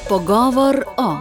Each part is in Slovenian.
Pogovor o.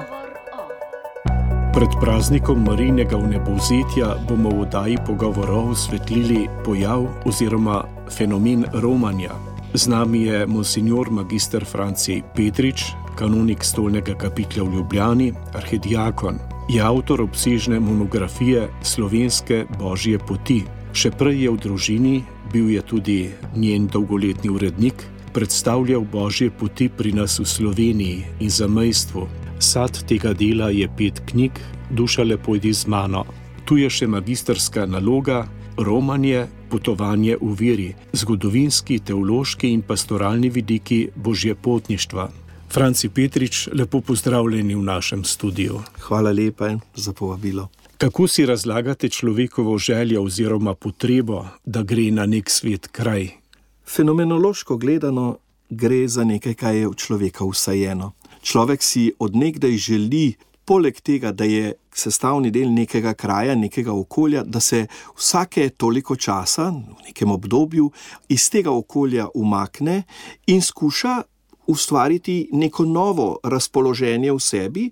Pred praznikom Marijinega vnebovzetja bomo v oddaji Pogovorov osvetlili pojav oziroma fenomen romanja. Z nami je monsignor magister Franci Petrič, kanonik stolnega kapitla v Ljubljani, arhidiakon. Je avtor obsežne monografije Slovenske božje poti. Še prej je v družini, bil je tudi njen dolgoletni urednik, predstavljal božje poti pri nas v Sloveniji in zamejstvu. Sad tega dela je 5 knjig, Duša pojdi z mano. Tu je še magisterska naloga, romanje, potovanje v veri, zgodovinski, teološki in pastoralni vidiki božjepotništva. Franci Petrič, lepo pozdravljeni v našem studiu. Hvala lepa za povabilo. Kako si razlagate človekovo željo oziroma potrebo, da gre na nek svet kraj? Fenomenološko gledano gre za nekaj, kaj je v človeka vsajeno. Človek si od nekdaj želi, poleg tega, da je sestavni del nekega kraja, nekega okolja, da se vsake toliko časa, v nekem obdobju, iz tega okolja umakne in skuša ustvariti neko novo razpoloženje v sebi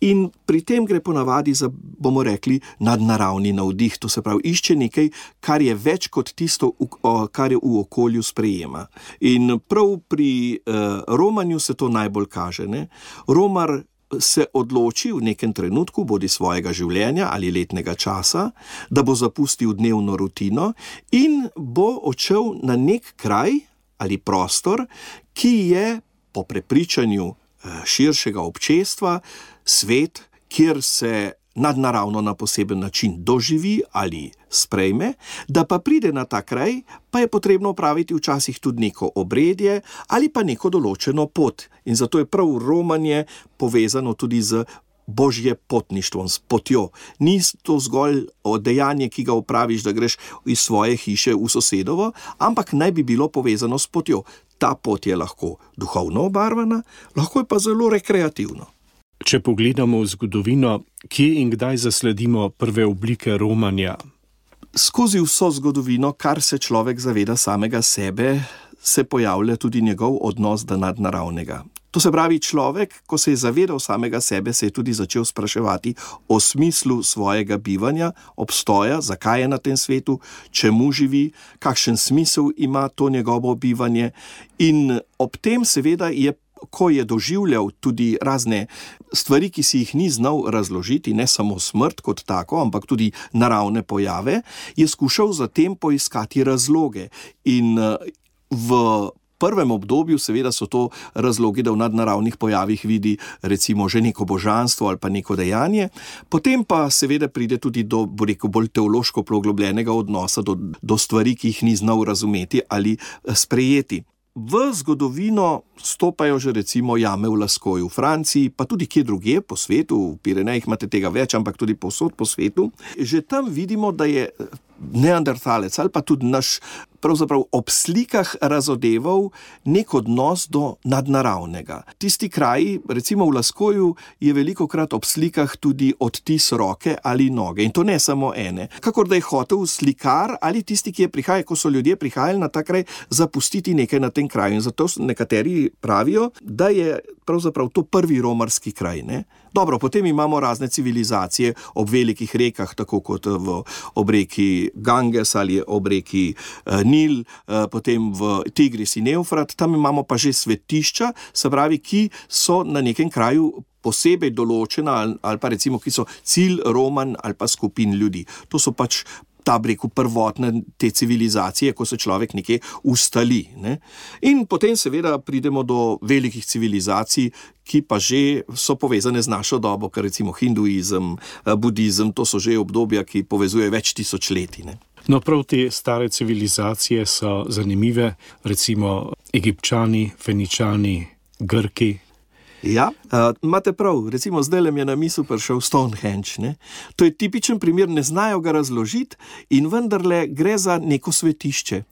in pri tem gre ponavadi za, bomo rekli, nadnaravni navdih. To se pravi, išče nekaj, kar je več kot tisto, kar je v okolju sprejema. In prav pri romanju se to najbolj kaže. Ne? Romar se odloči v nekem trenutku, bodi svojega življenja ali letnega časa, da bo zapustil dnevno rutino in bo odšel na nek kraj ali prostor, ki je po prepričanju širšega občestva svet, kjer se nadnaravno na poseben način doživi ali sprejme, da pa pride na ta kraj, pa je potrebno opraviti včasih tudi neko obredje ali pa neko določeno pot. In zato je prav romanje povezano tudi z božjepotništvom, s potjo. Ni to zgolj dejanje, ki ga opraviš, da greš iz svoje hiše v sosedovo, ampak naj bi bilo povezano s potjo. Ta pot je lahko duhovno obarvana, lahko je pa zelo rekreativno. Če pogledamo v zgodovino, kje in kdaj zasledimo prve oblike romanja? Skozi vso zgodovino, kar se človek zaveda samega sebe, se pojavlja tudi njegov odnos do nadnaravnega. To se pravi, človek, ko se je zavedal samega sebe, se je tudi začel spraševati o smislu svojega bivanja, obstoja, zakaj je na tem svetu, čemu živi, kakšen smisel ima to njegovo bivanje. In ob tem seveda je, ko je doživljal tudi razne stvari, ki si jih ni znal razložiti, ne samo smrt kot tako, ampak tudi naravne pojave, je skušal zatem poiskati razloge. In v prvem obdobju seveda so to razlogi, da v nadnaravnih pojavih vidi recimo že neko božanstvo ali pa neko dejanje, potem pa seveda pride tudi do, bolj teološko poglobljenega odnosa do stvari, ki jih ni znal razumeti ali sprejeti. V zgodovino stopajo že recimo jame v Laskoju v Franciji, pa tudi kje drugje po svetu, v Pirenejih imate tega več, ampak tudi povsod po svetu. Že tam vidimo, da je neandertalec ali pa tudi naš pravzaprav ob slikah razodeval nek odnos do nadnaravnega. Tisti kraji, recimo v Laskoju, je velikokrat ob slikah tudi odtis roke ali noge. In to ne samo ene. Kakor da je hotel slikar ali tisti, ki je prihajal, ko so ljudje prihajali na ta kraj, zapustiti nekaj na tem kraju. In zato nekateri pravijo, da je pravzaprav to prvi romarski kraj. Ne? Dobro, potem imamo razne civilizacije ob velikih rekah, tako kot ob reki Ganges ali ob reki Nil, potem v Tigris in Evfrat, tam imamo pa že svetišča, se pravi, ki so na nekem kraju posebej določena ali pa recimo, ki so cilj roman ali pa skupin ljudi. To so pač prvotne te civilizacije, ko se človek nekje ustali. Ne? In potem seveda pridemo do velikih civilizacij, ki pa že so povezane z našo dobo, ker recimo hinduizem, budizem, to so že obdobja, ki povezujejo več tisočletij. Ne? No, prav te stare civilizacije so zanimive, recimo Egipčani, Feničani, Grki. Ja, imate prav, recimo zdaj mi je na misel prišel Stonehenge. Ne? To je tipičen primer, ne znajo ga razložiti in vendarle gre za neko svetišče.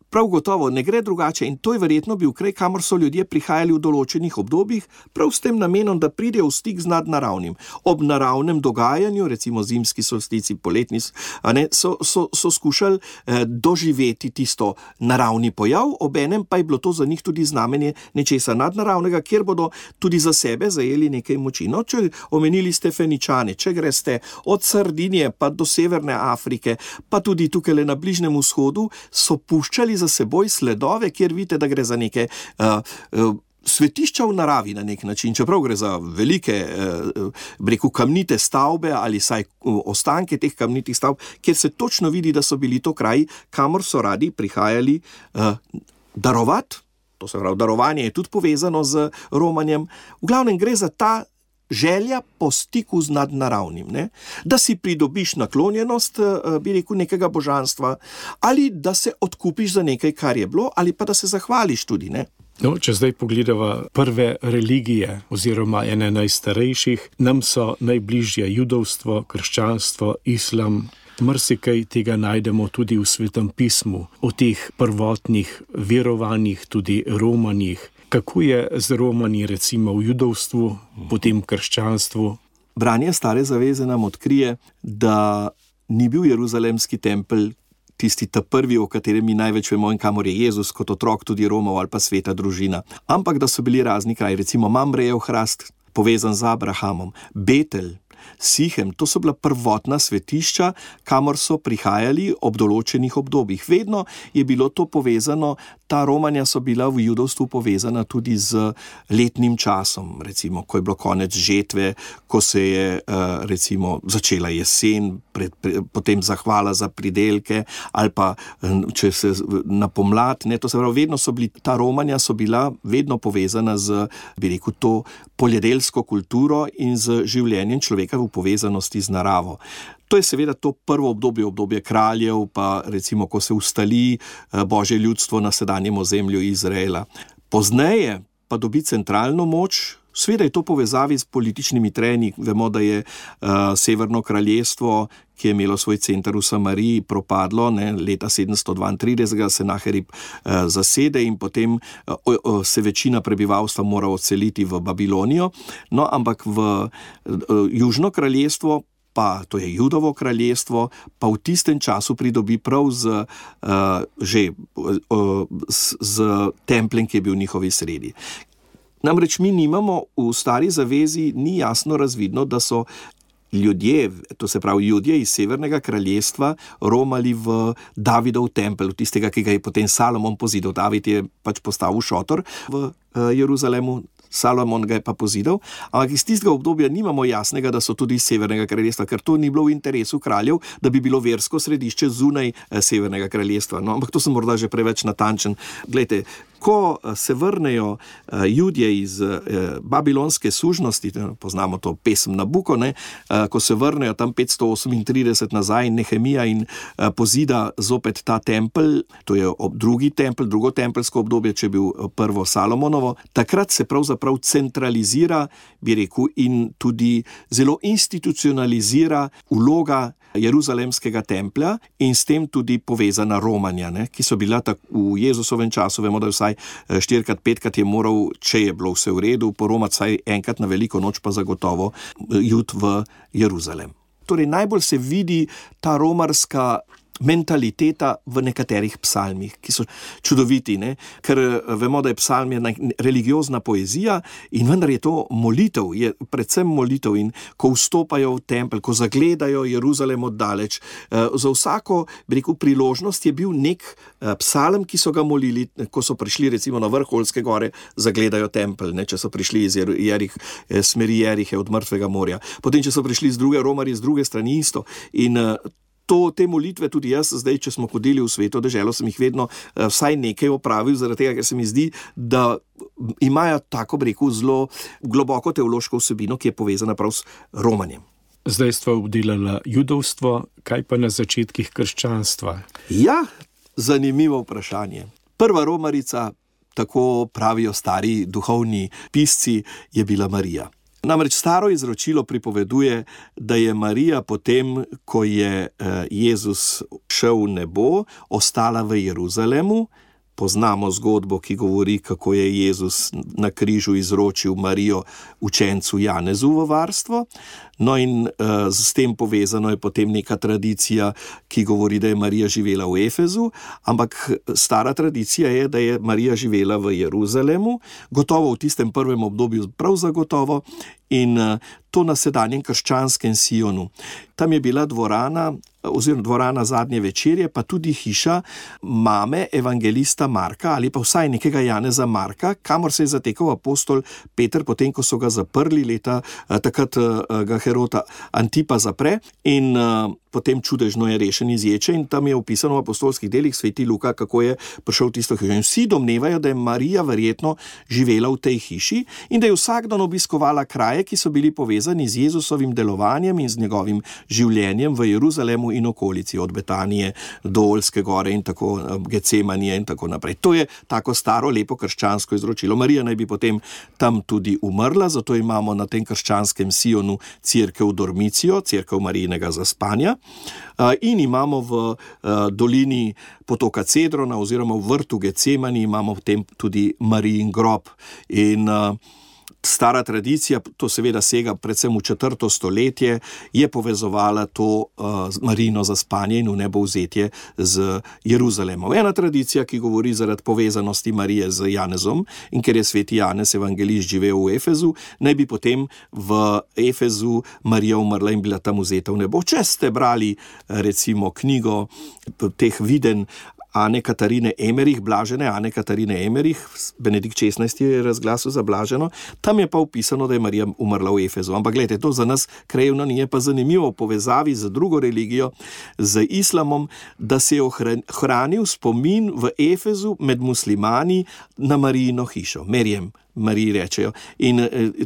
Prav gotovo ne gre drugače in to je verjetno bil kraj, kamor so ljudje prihajali v določenih obdobjih, prav s tem namenom, da pridejo v stik z nadnaravnim. Ob naravnem dogajanju, recimo zimski solstici, poletni, so skušali doživeti tisto naravni pojav, obenem pa je bilo to za njih tudi znamenje nečesa nadnaravnega, kjer bodo tudi za sebe zajeli nekaj moči. No, če omenili ste Feničane, če greste od Sardinije pa do Severne Afrike, pa tudi tukaj na Bližnjem vzhodu, so puščali za seboj sledove, kjer vidite, da gre za neke svetišča v naravi na nek način, čeprav gre za velike, kamnite stavbe ali saj ostanke teh kamnitih stavb, kjer se točno vidi, da so bili to kraji, kamor so radi prihajali darovati. To se pravi, darovanje je tudi povezano z romanjem. V glavnem gre za ta želja po stiku z nadnaravnim, ne? Da si pridobiš naklonjenost, bi rekel, nekega božanstva, ali da se odkupiš za nekaj, kar je bilo, ali pa da se zahvališ tudi, ne? No, če zdaj pogledava prve religije oziroma ene najstarejših, nam so najbližje judovstvo, krščanstvo, islam. Marsikaj tega najdemo tudi v Svetem pismu, o teh prvotnih verovanjih, tudi romanjih. Kako je z romanji recimo v judovstvu, potem krščanstvu? Branje Stare zaveze nam odkrije, da ni bil Jeruzalemski tempelj tisti ta prvi, o katerem mi največ vemo in kamor je Jezus kot otrok tudi romal ali pa sveta družina. Ampak da so bili razni kraji, recimo Mamrejev hrast, povezan z Abrahamom, Betel, Sihem, to so bila prvotna svetišča, kamor so prihajali ob določenih obdobjih. Vedno je bilo to povezano, ta romanja so bila v judovstvu povezana tudi z letnim časom, recimo, ko je bilo konec žetve, ko se je recimo začela jesen, potem zahvala za pridelke, ali pa če se na pomlad, ne, to se pravi, vedno so bili, ta romanja so bila vedno povezana z, bi rekel, to poljedelsko kulturo in z življenjem človeka v povezanosti z naravo. To je seveda to prvo obdobje kraljev, pa recimo, ko se ustali Božje ljudstvo na sedanjem ozemlju Izraela. Pozneje pa dobi centralno moč. Seveda je to povezavi s političnimi trenji. Vemo, da je Severno kraljestvo, ki je imelo svoj center v Samariji, propadlo, ne, leta 732 Senaherib zasede in potem se večina prebivalstva mora odseliti v Babilonijo. No, ampak v Južno kraljestvo, pa to je Judovo kraljestvo, pa v tistem času pridobi prav z templjem, ki je bil v njihovi sredi. Namreč mi nimamo v Stari zavezi, ni jasno razvidno, da so ljudje, to se pravi Judje iz Severnega kraljestva, romali v Davidov tempelj, tistega, ki ga je potem Salomon pozidal. David je pač postavil šotor v Jeruzalemu, Salomon ga je pa pozidal, ampak iz tistega obdobja nimamo jasnega, da so tudi iz Severnega kraljestva, ker to ni bilo v interesu kraljev, da bi bilo versko središče zunaj Severnega kraljestva. No, ampak to sem morda že preveč natančen. Glejte, ko se vrnejo Judje iz babilonske sužnosti, poznamo to pesem Nabuko, ne, ko se vrnejo tam 538 nazaj Nehemija in pozida zopet ta tempelj, to je drugo tempelsko obdobje, če je bil prvo Salomonovo, takrat se pravzaprav centralizira, bi rekel, in tudi zelo institucionalizira vloga Jeruzalemskega templja in s tem tudi povezana romanja, ne, ki so bila v Jezusovem času, vemo, da vsaj 4-5 je moral, če je bilo vse v redu, poromati vsaj enkrat na veliko noč, pa zagotovo Jud v Jeruzalem. Torej najbolj se vidi ta romarska mentaliteta v nekaterih psalmih, ki so čudoviti, ne? Ker vemo, da je psalm religiozna poezija in vendar je to molitev, je predvsem molitev in ko vstopajo v tempelj, ko zagledajo Jeruzalem oddaleč, za vsako, bi rekel, priložnost je bil nek psalm, ki so ga molili, ko so prišli recimo na vrh Olske gore, zagledajo tempelj, ne? Če so prišli iz smeri Jerihe od Mrtvega morja. Potem, če so prišli z druge, romarji z druge strani isto. In te molitve tudi jaz zdaj, če smo hodili v Sveto deželo, sem jih vedno vsaj nekaj opravil, zaradi tega, ker se mi zdi, da imajo tako, bi rekel, zelo globoko teološko vsebino, ki je povezana prav s romanjem. Zdaj sta obdelala judovstvo, kaj pa na začetkih krščanstva? Ja, zanimivo vprašanje. Prva romarica, tako pravijo stari duhovni pisci, je bila Marija. Namreč staro izročilo pripoveduje, da je Marija potem, ko je Jezus šel v nebo, ostala v Jeruzalemu. Poznamo zgodbo, ki govori, kako je Jezus na križu izročil Marijo učencu Janezu v varstvo. No in s tem povezano je potem neka tradicija, ki govori, da je Marija živela v Efezu, ampak stara tradicija je, da je Marija živela v Jeruzalemu, gotovo v tistem prvem obdobju prav zagotovo, in to na sedanjem krščanskem Sionu. Tam je bila dvorana, oziroma dvorana zadnje večerje, pa tudi hiša mame evangelista Marka, ali pa vsaj nekega Janeza Marka, kamor se je zatekal apostol Peter, potem ko so ga zaprli leta, takrat ga Herota Antipa zapre in potem čudežno je rešen iz ječe, in tam je opisano v apostolskih delih sveti Luka, kako je prišel v tisto hišo. In vsi domnevajo, da je Marija verjetno živela v tej hiši in da je vsak dan obiskovala kraje, ki so bili povezani z Jezusovim delovanjem in z njegovim življenjem v Jeruzalemu in okolici, od Betanije do Oljske gore in tako Getsemanije in tako naprej. To je tako staro, lepo krščansko izročilo. Marija naj bi potem tam tudi umrla, zato imamo na tem krščanskem Sionu cerkev Dormicijo, cerkev Marijinega zaspanja. In imamo v dolini potoka Cedrona oziroma v vrtu Getsemani imamo potem tudi Marijin grob. In stara tradicija, to seveda sega predvsem v 4. stoletje, je povezovala to Marijino zaspanje in vnebovzetje z Jeruzalemom. Ena tradicija, ki govori zaradi povezanosti Marije z Janezom, in ker je sveti Janez evangelist živel v Efezu, naj bi potem v Efezu Marija umrla in bila tam vzeta v nebo. Če ste brali recimo knjigo teh viden Ane Katarine Emerich, blažene Ane Katarine Emerich, Benedikt XVI je razglasil za blaženo, tam je pa opisano, da je Marija umrla v Efezu. Ampak gledajte, to za nas krajevno ni, je pa zanimivo v povezavi z drugo religijo, z islamom, da se je ohranil spomin v Efezu med muslimani na Marijino hišo, Merjem. Mariji rečejo. In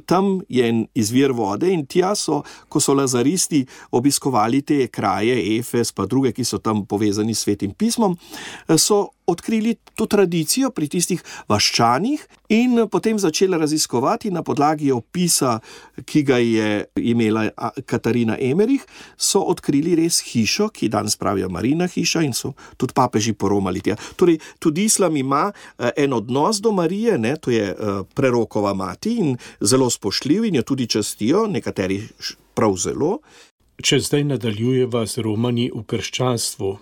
tam je en izvir vode in tja so, ko so lazaristi obiskovali te kraje, Efes, pa druge, ki so tam povezani s svetim pismom, so odkrili to tradicijo pri tistih vaščanih in potem začeli raziskovati na podlagi opisa, ki ga je imela Katarina Emerich, so odkrili res hišo, ki danes pravijo Marijina hiša, in so tudi papeži poromali tja. Torej, tudi islam ima en odnos do Marije, ne, to je prerokova mati in zelo spoštljiv in jo tudi častijo, nekateri prav zelo. Če zdaj nadaljujeva z romanji v krščanstvu.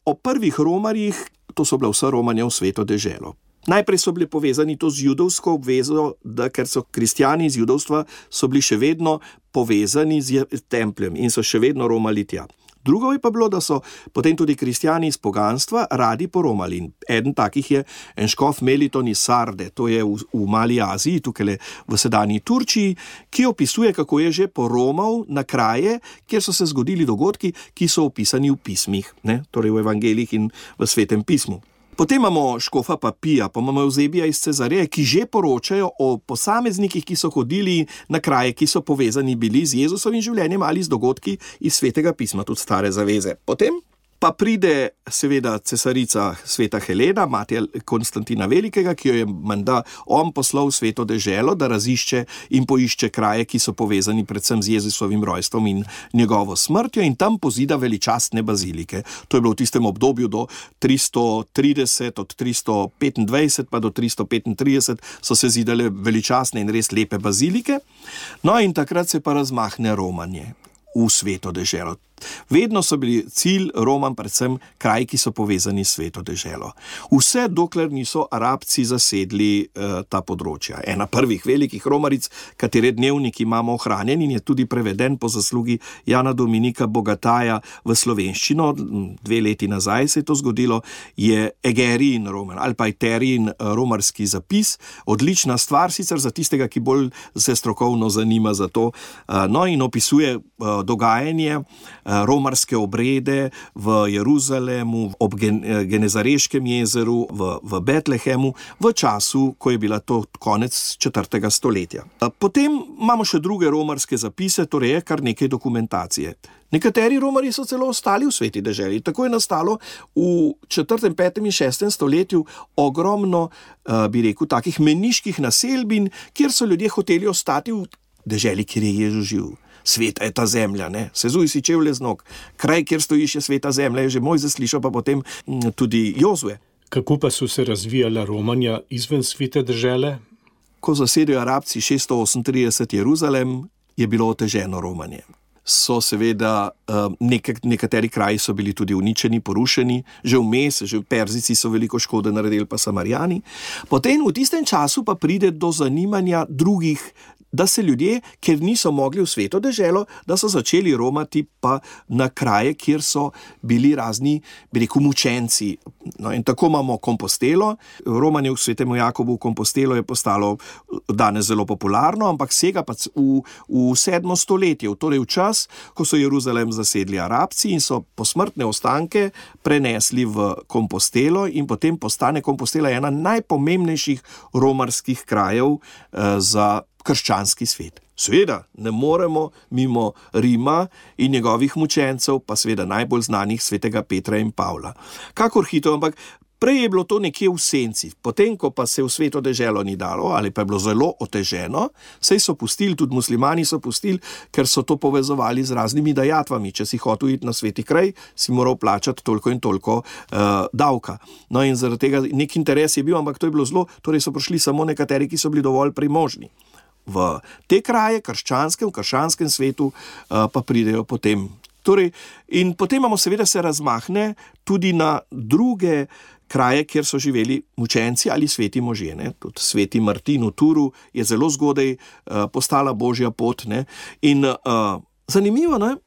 O prvih romarjih, to so bila vsa romanja v Sveto deželo. Najprej so bili povezani to z judovsko obvezo, da ker so kristjani iz judovstva, so bili še vedno povezani z templjem in so še vedno romali tja. Drugo je pa bilo, da so potem tudi kristjani iz poganstva radi poromali. Eden takih je en škof Meliton iz Sarde, to je v Mali Aziji, tukaj v sedanji Turčiji, ki opisuje, kako je že poromal na kraje, kjer so se zgodili dogodki, ki so opisani v pismih, ne? Torej v evangeljih in v svetem pismu. Potem imamo škofa Papija, pa imamo Eusebija iz Cezareje, ki že poročajo o posameznikih, ki so hodili na kraje, ki so povezani bili z Jezusovim življenjem ali z dogodki iz svetega pisma, tudi stare zaveze. Potem pa pride seveda cesarica sveta Helena, mati Konstantina Velikega, ki jo je menda on poslal v Sveto deželo, da razišče in poišče kraje, ki so povezani predvsem z Jezusovim rojstvom in njegovo smrtjo, in tam pozida veličastne bazilike. To je bilo v tistem obdobju do 330, od 325 pa do 335 so se zidale veličastne in res lepe bazilike. No in takrat se pa razmahne romanje v Sveto deželo. Vedno so bili cilj Roman predvsem kraji, ki so povezani s Sveto deželo. Vse dokler niso Arabci zasedli ta področja. Ena prvih velikih romaric, katere dnevnik imamo ohranjen in je tudi preveden po zaslugi Jana Dominika Bogataja v slovenščino, 2 leti nazaj se je to zgodilo, je Egerijin roman ali pa Eterijin romarski zapis. Odlična stvar sicer za tistega, ki bolj se strokovno zanima za to, no in opisuje dogajanje, romarske obrede v Jeruzalemu, ob Genezareškem jezeru, v Betlehemu, v času, ko je bila to konec 4. stoletja. Potem imamo še druge romarske zapise, torej je kar nekaj dokumentacije. Nekateri romarji so celo ostali v sveti deželi. Tako je nastalo v 4., 5. in 6. stoletju ogromno, bi rekel, takih meniških naselbin, kjer so ljudje hoteli ostati v deželi, kjer je Jezus živ. Sveta je ta zemlja, ne? Sezuj si čevlje z nog. Kraj, kjer stojiš, je sveta zemlja, je že Mojzes slišal, pa potem tudi Jozue. Kako pa so se razvijala romanja izven svete dežele? Ko zasedajo Arabci 638 Jeruzalem, je bilo oteženo romanje. So seveda, nekateri kraji so bili tudi uničeni, porušeni, že vmes, že Perzici so veliko škode naredili, pa Samarijani. Potem v tistem času pa pride do zanimanja drugih, da se ljudje, ker niso mogli v sveto deželo, da so začeli romati pa na kraje, kjer so bili razni, bi rekel, mučenci. No, in tako imamo Kompostelo. Romanje v svetemu Jakobu v Kompostelo je postalo danes zelo popularno, ampak sega pa v 7. stoletje, torej v čas, ko so Jeruzalem zasedli Arabci in so posmrtne ostanke prenesli v Kompostelo in potem postane Kompostela ena najpomembnejših romarskih krajev za krščanski svet. Seveda ne moremo mimo Rima in njegovih mučencev, pa seveda najbolj znanih svetega Petra in Pavla. Kakor hitro, ampak prej je bilo to nekje v senci. Potem, ko pa se v sveto deželo ni dalo, ali pa je bilo zelo oteženo, saj so pustili, tudi muslimani so pustili, ker so to povezovali z raznimi dajatvami. Če si hotel iti na sveti kraj, si moral plačati toliko in toliko davka. No in zaradi tega nek interes je bil, ampak to je bilo zelo, torej so prišli samo nekateri, ki so bili dovolj premožni. V te kraje, v krščanskem svetu, pa pridejo potem. Torej, in potem imamo seveda se razmahne tudi na druge kraje, kjer so živeli mučenci ali sveti možje. Ne? Tudi sveti Martin v Turu je zelo zgodaj postala božja pot. Ne? In zanimivo, ne?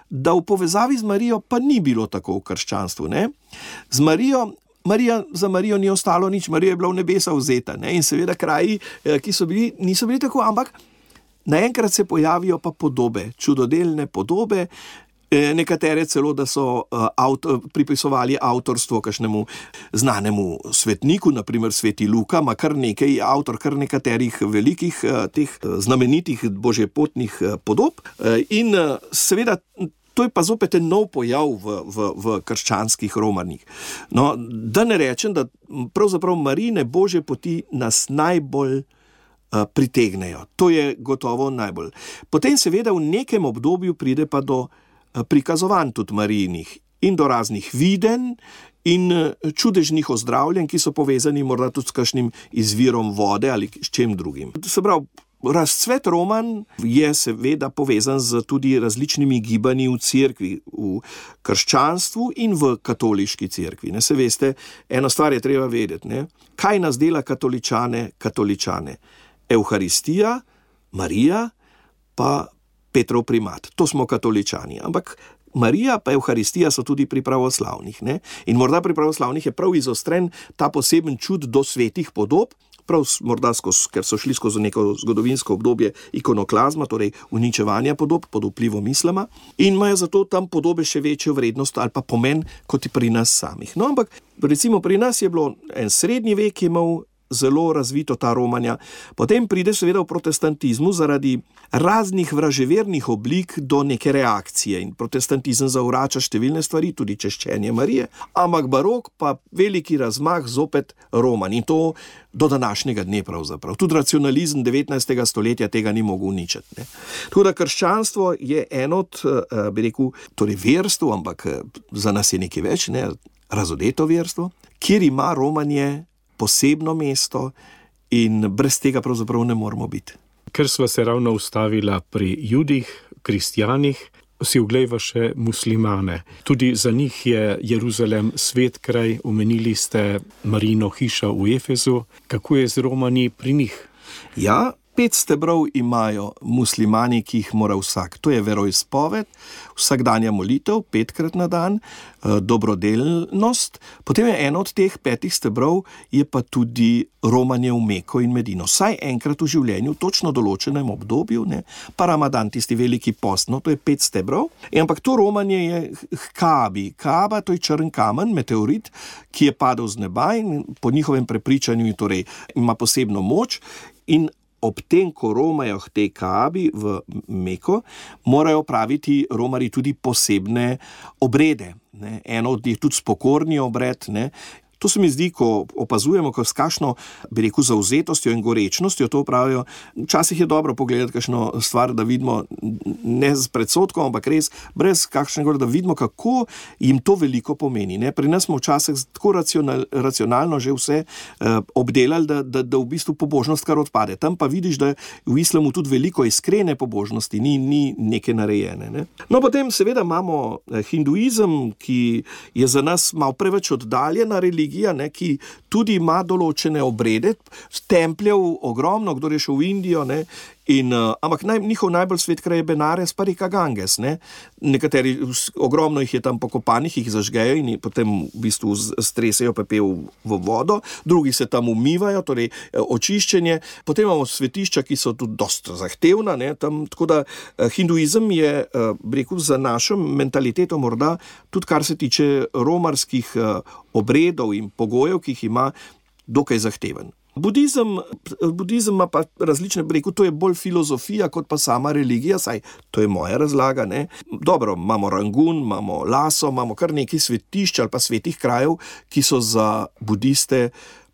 Da v povezavi z Marijo pa ni bilo tako v krščanstvu. Ne? Za Marijo ni ostalo nič, Marija je bila v nebesa vzeta. Ne? In seveda kraji, ki so bili, niso bili tako, ampak naenkrat se pojavijo pa podobe, čudodelne podobe, nekatere celo, da so pripisovali avtorstvo kakšnemu znanemu svetniku, naprimer sveti Luka, ima kar nekaj avtor, kar nekaterih velikih teh znamenitih božjepotnih podob. In seveda to je pa zopet en nov pojav v krščanskih romanjih. No, da ne rečem, da pravzaprav Marijine božje poti nas najbolj pritegnejo. To je gotovo najbolj. Potem seveda v nekem obdobju pride pa do prikazovanj tudi Marijinih in do raznih videnj in čudežnih ozdravljenj, ki so povezani morda tudi s kakšnim izvirom vode ali s čem drugim. Se pravi, razcvet roman je seveda povezan z tudi različnimi gibanji v cerkvi, v krščanstvu in v katoliški cerkvi. Ne, se veste, eno stvar je treba vedeti. Ne? Kaj nas dela katoličane? Evharistija, Marija, pa Petrov primat. To smo katoličani. Ampak Marija pa Evharistija so tudi pri pravoslavnih. Ne? In morda pri pravoslavnih je prav izostren ta poseben čud do svetih podob, prav morda ker so šli skozi neko zgodovinsko obdobje ikonoklazma, torej uničevanja podob pod vplivom islama, in imajo zato tam podobe še večjo vrednost ali pa pomen kot pri nas samih. No, ampak recimo pri nas je bilo en srednji vek, ki je imel zelo razvito ta romanja. Potem pride seveda v protestantizmu zaradi raznih vraževernih oblik do neke reakcije in protestantizem zavrača številne stvari, tudi češčenje Marije, ampak barok pa veliki razmah zopet roman in to do današnjega dne pravzaprav. Tudi racionalizem 19. stoletja tega ni mogel uničiti. Ne. Tako da krščanstvo je eno od, bi rekel, torej verstvo, ampak za nas je nekaj več, ne, razodeto verstvo, kjer ima romanje posebno mesto in brez tega pravzaprav ne moramo biti. Ker sva se ravno ustavila pri Judih, kristjanih, si oglejva še muslimane. Tudi za njih je Jeruzalem svet kraj, omenili ste Marijino hišo v Efezu. Kako je z romanji pri njih? Ja, 5 stebrov imajo muslimani, ki jih mora vsak. To je veroizpoved, vsakdanja molitev, 5-krat na dan, dobrodelnost. Potem je eno od teh 5 stebrov, je pa tudi romanje v Meko in Medino. Vsaj enkrat v življenju, točno določenem obdobju, ne? Pa Ramadan, tisti veliki post, no, to je 5 stebrov. Ampak to romanje je k Kaabi. Kaaba, to je črn kamen, meteorit, ki je padel z neba in po njihovem prepričanju torej ima posebno moč in ob tem, ko romajo k tej Kaabi v Meko, morajo praviti romarji tudi posebne obrede. Ne? Eno od njih tudi spokorni obred. Ne? To se mi zdi, ko opazujemo, s kakšno, bi rekel, zavzetostjo in gorečnostjo to pravijo. Včasih je dobro pogledati kakšno stvar, da vidimo ne z predsodkom, ampak res brez kakšnega, da vidimo, kako jim to veliko pomeni. Ne? Pri nas smo včasih tako racionalno že vse obdelali, da v bistvu pobožnost kar odpade. Tam pa vidiš, da v islamu tudi veliko iskrene pobožnosti, ni neke narejene. Ne? No, potem seveda imamo hinduizem, ki je za nas malo preveč oddaljena religija, ne, ki tudi ima določene obrede, templjev ogromno, kdo je šel v Indijo, ne, ampak njihov najbolj svet kraj je Benares pa reka Ganges. Ne. Nekateri, ogromno jih je tam pokopanih, jih zažgejo in potem v bistvu stresejo pepel v vodo, drugi se tam umivajo, torej očiščenje. Potem imamo svetišča, ki so tudi dosta zahtevna, ne, tam, tako da hinduizem je, rekel, za našo mentaliteto morda tudi kar se tiče romarskih obredov in pogojev, ki jih ima, dokaj zahteven. Budizem ima pa različne, rekel, to je bolj filozofija kot pa sama religija, saj to je moja razlaga, ne. Dobro, imamo Rangun, imamo Laso, imamo kar nekaj svetišč ali pa svetih krajev, ki so za budiste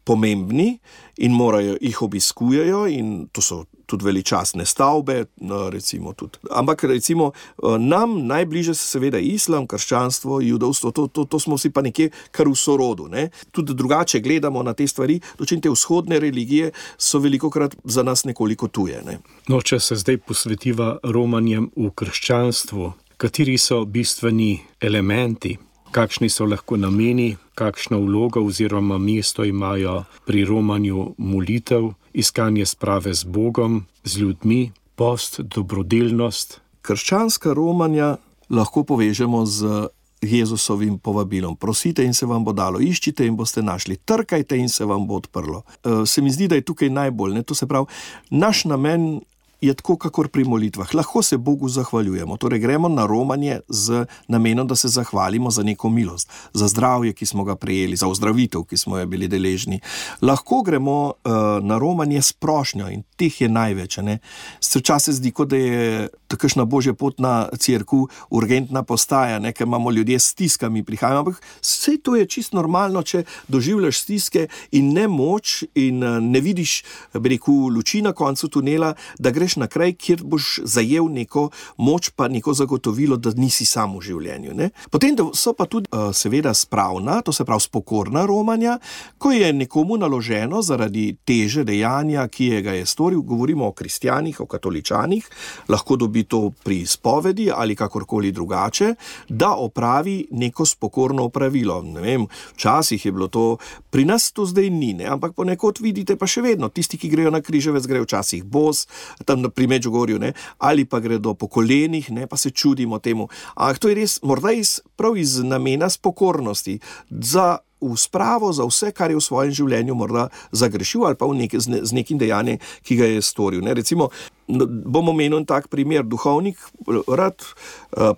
pomembni in jih obiskujejo in to so tudi veličastne stavbe, recimo tudi. Ampak recimo nam najbliže se seveda islam, krščanstvo, judovstvo, to smo si pa nekje kar v sorodu, ne. Tudi drugače gledamo na te stvari, dočim te vzhodne religije so velikokrat za nas nekoliko tuje, ne. No, če se zdaj posvetiva romanjem v krščanstvu, kateri so bistveni elementi? Kakšni so lahko nameni, kakšno vlogo oziroma mesto imajo pri romanju molitev, iskanje sprave z Bogom, z ljudmi, post, dobrodelnost? Krščanska romanja lahko povežemo z Jezusovim povabilom. Prosite in se vam bo dalo, iščite in boste našli, trkajte in se vam bo odprlo. Se mi zdi, da je tukaj najbolj, ne? To se pravi, naš namen je tako, kakor pri molitvah. Lahko se Bogu zahvaljujemo. Torej gremo na romanje z namenom, da se zahvalimo za neko milost, za zdravje, ki smo ga prejeli, za ozdravitev, ki smo jo bili deležni. Lahko gremo na romanje s prošnjo in teh je največ. Ne? Včasih zdi, kot da je takšna božja potna cerkev urgentna postaja, ne? Ker imamo ljudje s stiskami prihajajo, ampak vse to je čisto normalno, če doživljaš stiske in nemoč in ne vidiš, bi rekel, luči na koncu tunela, da greš na kraj, kjer boš zajel neko moč pa neko zagotovilo, da nisi sam v življenju. Ne? Potem so pa tudi seveda spravna, to se pravi spokorna romanja, ko je nekomu naloženo zaradi teže dejanja, ki ga je storil, govorimo o kristjanih, o katoličanih, lahko dobi to pri spovedi ali kakorkoli drugače, da opravi neko spokorno opravilo. Ne vem, včasih je bilo to, pri nas to zdaj ni, ne? Ampak ponekod vidite pa še vedno, tisti, ki grejo na križevec, grejo včasih bos, tam pri Medžugorju, ne, ali pa gredo po kolenih, ne, pa se čudimo temu. Ampak to je res, morda prav iz namena spokornosti, za v spravo za vse, kar je v svojem življenju morda zagrešil ali pa z nekim dejanjem, ki ga je storil. Ne. Recimo, bom omenil tak primer, duhovnik rad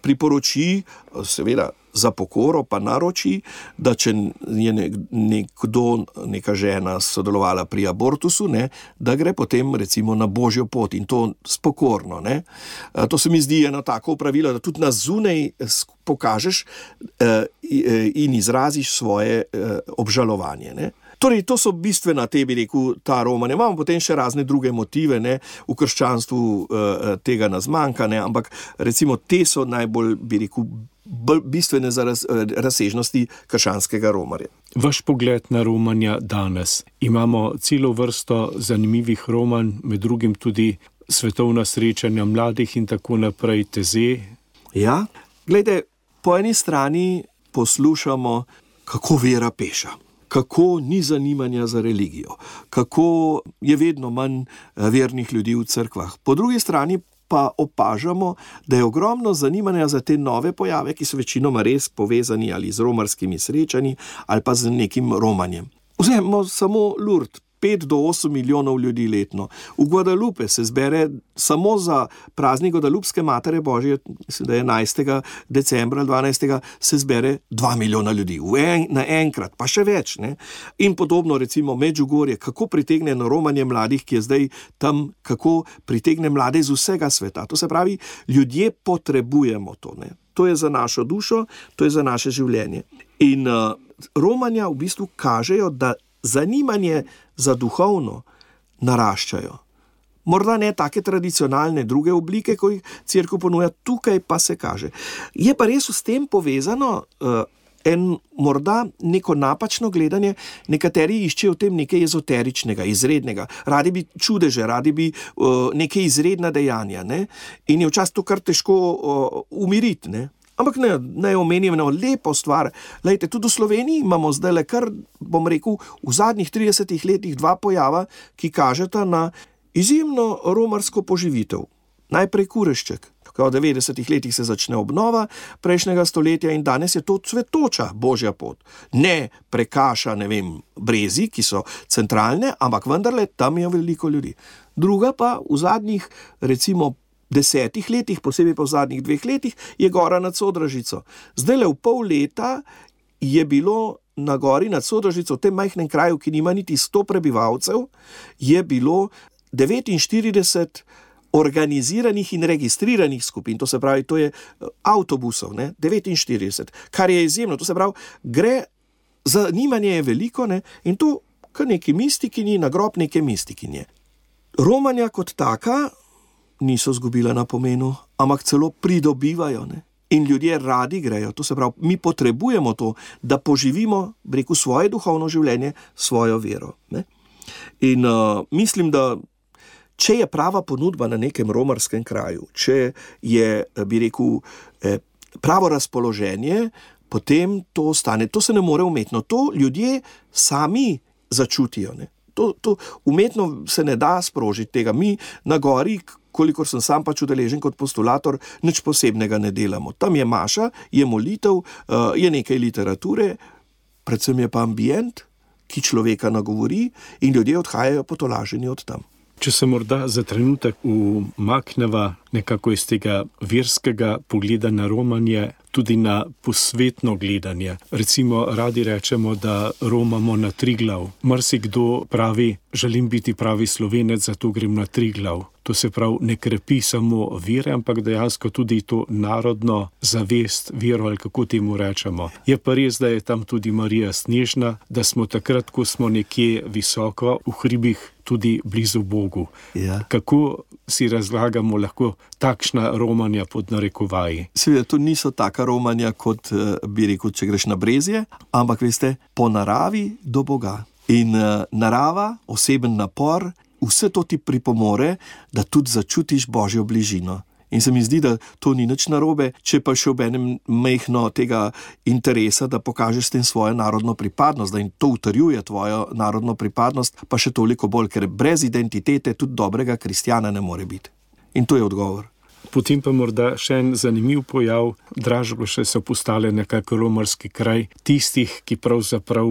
priporoči, seveda za pokoro pa naroči, da če je neka žena sodelovala pri abortusu, ne, da gre potem recimo na božjo pot in to spokorno. Ne. To se mi zdi eno tako pravilo, da tudi na zunaj pokažeš in izraziš svoje obžalovanje. Ne. Torej, to so bistvena, bi rekel, ta romanja. Imamo potem še razne druge motive, ne, v krščanstvu tega nas manjka, ne, ampak recimo te so najbolj, bi rekel, bistvene za razsežnosti krščanskega romarja. Vaš pogled na romanja danes. Imamo celo vrsto zanimivih romanj, med drugim tudi svetovna srečanja mladih in tako naprej, teze. Ja, glejte, po eni strani poslušamo, kako vera peša, kako ni zanimanja za religijo, kako je vedno manj vernih ljudi v cerkvah. Po drugi strani pa opažamo, da je ogromno zanimanja za te nove pojave, ki so večinoma res povezani ali z romarskimi srečanji ali pa z nekim romanjem. Vzemimo samo Lourdes, 5 do 8 milijonov ljudi letno. V Guadalupe se zbere samo za praznik Guadalupske Matere Božje, mislim, da je 11. decembra, 12. se zbere 2 milijona ljudi. Naenkrat, pa še več. Ne? In podobno recimo Medžugorje, kako pritegne na romanje mladih, ki je zdaj tam, kako pritegne mlade iz vsega sveta. To se pravi, ljudje potrebujemo to. Ne? to je za našo dušo, to je za naše življenje. In romanja v bistvu kažejo, da zanimanje za duhovno naraščajo. Morda ne take tradicionalne druge oblike, ko jih cerkev ponuja, tukaj pa se kaže. Je pa res s tem povezano morda neko napačno gledanje, nekateri iščejo v tem nekaj ezoteričnega, izrednega, radi bi čudeže, radi bi neke izredna dejanja, ne? In je včasih to kar težko umiriti, ne? Ampak ne omenim eno lepo stvar. Lejte, tudi v Sloveniji imamo zdaj kar, bom rekel, v zadnjih 30 letih 2 pojava, ki kažeta na izjemno romarsko poživitev. Najprej Kurešček. V 90 letih se začne obnova prejšnjega stoletja in danes je to cvetoča božja pot. Ne prekaša, Brezi, ki so centralne, ampak vendarle tam je veliko ljudi. Druga pa v zadnjih, recimo, 10 letih, posebej pa v zadnjih 2 letih, je gora nad Sodražico. Zdajle v pol leta je bilo na gori nad Sodražico, v tem majhnem kraju, ki nima niti 100 prebivalcev, je bilo 49 organiziranih in registriranih skupin, to se pravi, to je avtobusov, 49, kar je izjemno, to se pravi, zanimanje je veliko, in to kar neki mistikinji, na grob neke mistikinje. Romanja kot taka niso zgubila na pomenu, ampak celo pridobivajo, in ljudje radi grejo, to se pravi, mi potrebujemo to, da poživimo, svoje duhovno življenje, svojo vero, In mislim, da če je prava ponudba na nekem romarskem kraju, če je, pravo razpoloženje, potem to ostane. To se ne more umetno. To ljudje sami začutijo. To umetno se ne da sprožiti tega. Mi na gori, kolikor sem sam pač udeležen kot postulator, nič posebnega ne delamo. Tam je maša, je molitev, je nekaj literature, predvsem je pa ambient, ki človeka nagovori in ljudje odhajajo potolaženi od tam. Če se morda za trenutek umakneva nekako iz tega verskega pogleda na romanje, tudi na posvetno gledanje. Recimo, radi rečemo, da romamo na Triglav. Marsikdo pravi, želim biti pravi Slovenec, zato grem na Triglav. To se pravi, ne krepi samo vere, ampak dejansko tudi to narodno zavest, vero ali kako temu rečemo. Je pa res, da je tam tudi Marija Snežna, da smo takrat, ko smo nekje visoko v hribih, tudi blizu Bogu. Ja. Kako si razlagamo lahko takšna romanja pod narekovaji? Seveda, to niso taka romanja, kot bi rekel, če greš na Brezje, ampak veste, po naravi do Boga. In narava, oseben napor, vse to ti pripomore, da tudi začutiš Božjo bližino. In se mi zdi, da to ni nič narobe, če pa še ob enem majhno tega interesa, da pokažeš s tem svojo narodno pripadnost, da jim to utrjuje tvojo narodno pripadnost, pa še toliko bolj, ker brez identitete tudi dobrega kristjana ne more biti. In to je odgovor. Potem pa morda še en zanimiv pojav, Dražgoše so postale nekako romarski kraj tistih, ki pravzaprav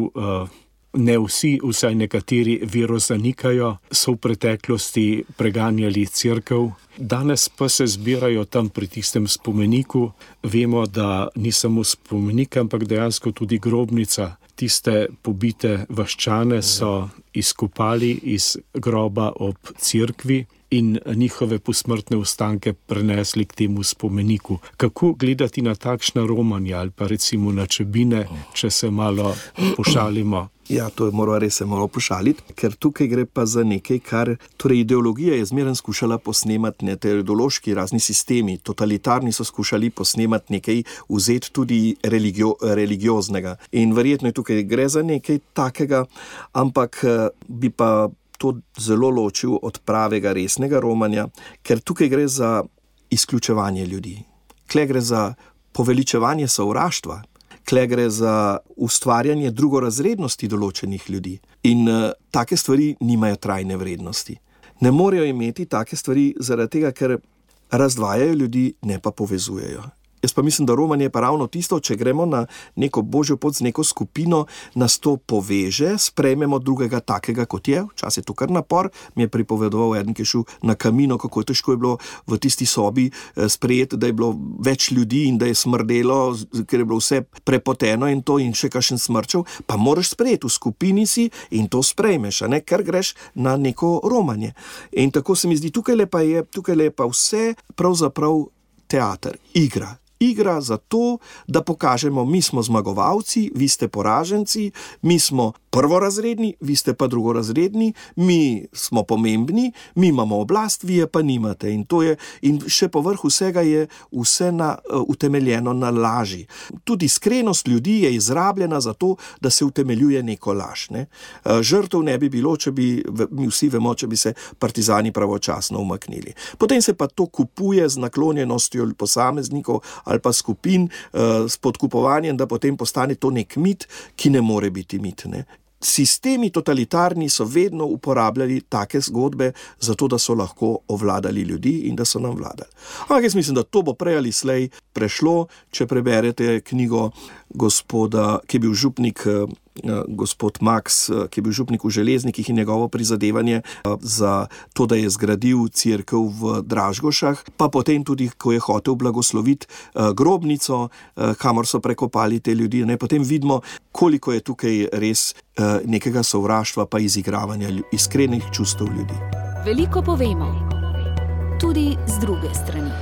ne vsi, vsaj nekateri vero zanikajo, so v preteklosti preganjali cerkev. Danes pa se zbirajo tam pri tistem spomeniku. Vemo, da ni samo spomenik, ampak dejansko tudi grobnica. Tiste pobite vaščane so izkopali iz groba ob cerkvi in njihove posmrtne ostanke prenesli k temu spomeniku. Kako gledati na takšna romanja ali pa recimo na Čebine, če se malo pošalimo? Ja, to je mora res se malo pošaliti, ker tukaj gre pa za nekaj, kar ideologija je zmeraj skušala posnemati, te ideološki razni sistemi, totalitarni so skušali posnemati nekaj, vzeti tudi religioznega. In verjetno je tukaj gre za nekaj takega, ampak bi pa to zelo ločil od pravega resnega romanja, ker tukaj gre za izključevanje ljudi. Kle gre za poveličevanje sovraštva. Kle gre za ustvarjanje drugorazrednosti določenih ljudi. In take stvari nimajo trajne vrednosti. Ne morejo imeti take stvari zaradi tega, ker razdvajajo ljudi, ne pa povezujejo. Jaz pa mislim, da romanje je pa ravno tisto, če gremo na neko božjo pot z neko skupino, nas to poveže, sprejmemo drugega takega, kot je. Včasih je to kar napor. Mi je pripovedoval eden, ki je šel na Kamino, kako težko je bilo v tisti sobi sprejeti, da je bilo več ljudi in da je smrdelo, ker je bilo vse prepoteno in to in še kakšen smrčev. Pa moraš sprejeti, v skupini si in to sprejmeš, ker greš na neko romanje. In tako se mi zdi, tukaj pa vse pravzaprav teater, igra. igra za to, da pokažemo, mi smo zmagovalci, vi ste poraženci, mi smo prvorazredni, vi ste pa drugorazredni, mi smo pomembni, mi imamo oblast, vi je pa nimate. In še povrh vsega je vse utemeljeno na laži. Tudi iskrenost ljudi je izrabljena za to, da se utemeljuje neko laž. Ne? Žrtev ne bi bilo, mi vsi vemo, če bi se partizani pravočasno umaknili. Potem se pa to kupuje z naklonjenostjo posameznikov ali pa skupin, s podkupovanjem, da potem postane to nek mit, ki ne more biti mit. Ne? Sistemi totalitarni so vedno uporabljali take zgodbe, zato da so lahko ovladali ljudi in da so nam vladali. Ampak jaz mislim, da to bo prej ali slej prešlo, če preberete knjigo gospoda, ki je bil župnik, gospod Max, ki je bil župnik v Železnikih, in njegovo prizadevanje za to, da je zgradil cerkev v Dražgošah, pa potem tudi, ko je hotel blagosloviti grobnico, kamor so prekopali te ljudi. Ne? Potem vidimo, koliko je tukaj res nekega sovraštva pa izigravanja iskrenih čustev ljudi. Veliko povemo, tudi z druge strani.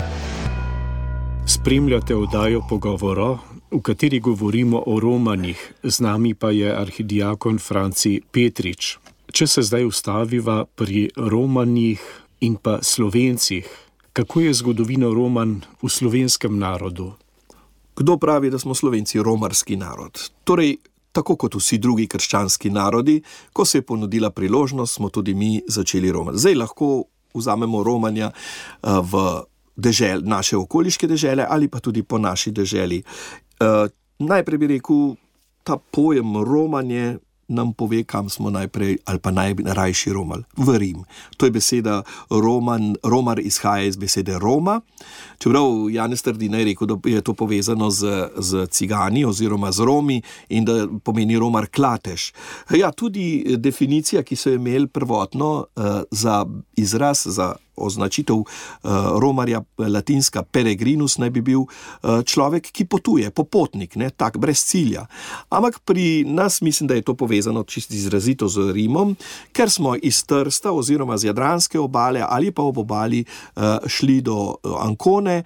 Spremljate oddajo Pogovoro, v kateri govorimo o romanjih, z nami pa je arhidiakon Franci Petrič. Če se zdaj ustaviva pri romanjih in pa Slovencih, kako je zgodovina romanj v slovenskem narodu? Kdo pravi, da smo Slovenci romarski narod? Torej, tako kot vsi drugi krščanski narodi, ko se je ponudila priložnost, smo tudi mi začeli romati. Zdaj lahko vzamemo romanja v naše okoliške dežele ali pa tudi po naši deželi. Najprej bi rekel, ta pojem romanje nam pove, kam smo najprej ali pa najrajši romali. V Rim. To je beseda romar izhaja iz besede Roma. Čeprav Janez Trdina je rekel, da je to povezano z cigani oziroma z Romi in da pomeni romar klatež. Ja, tudi definicija, ki so imeli prvotno za izraz, za označitev romarja, latinska peregrinus, naj bi bil človek, ki potuje, popotnik, ne, tak, brez cilja. Ampak pri nas mislim, da je to povezano čisto izrazito z Rimom, ker smo iz Trsta oziroma z Jadranske obale ali pa ob obali šli do Ancone.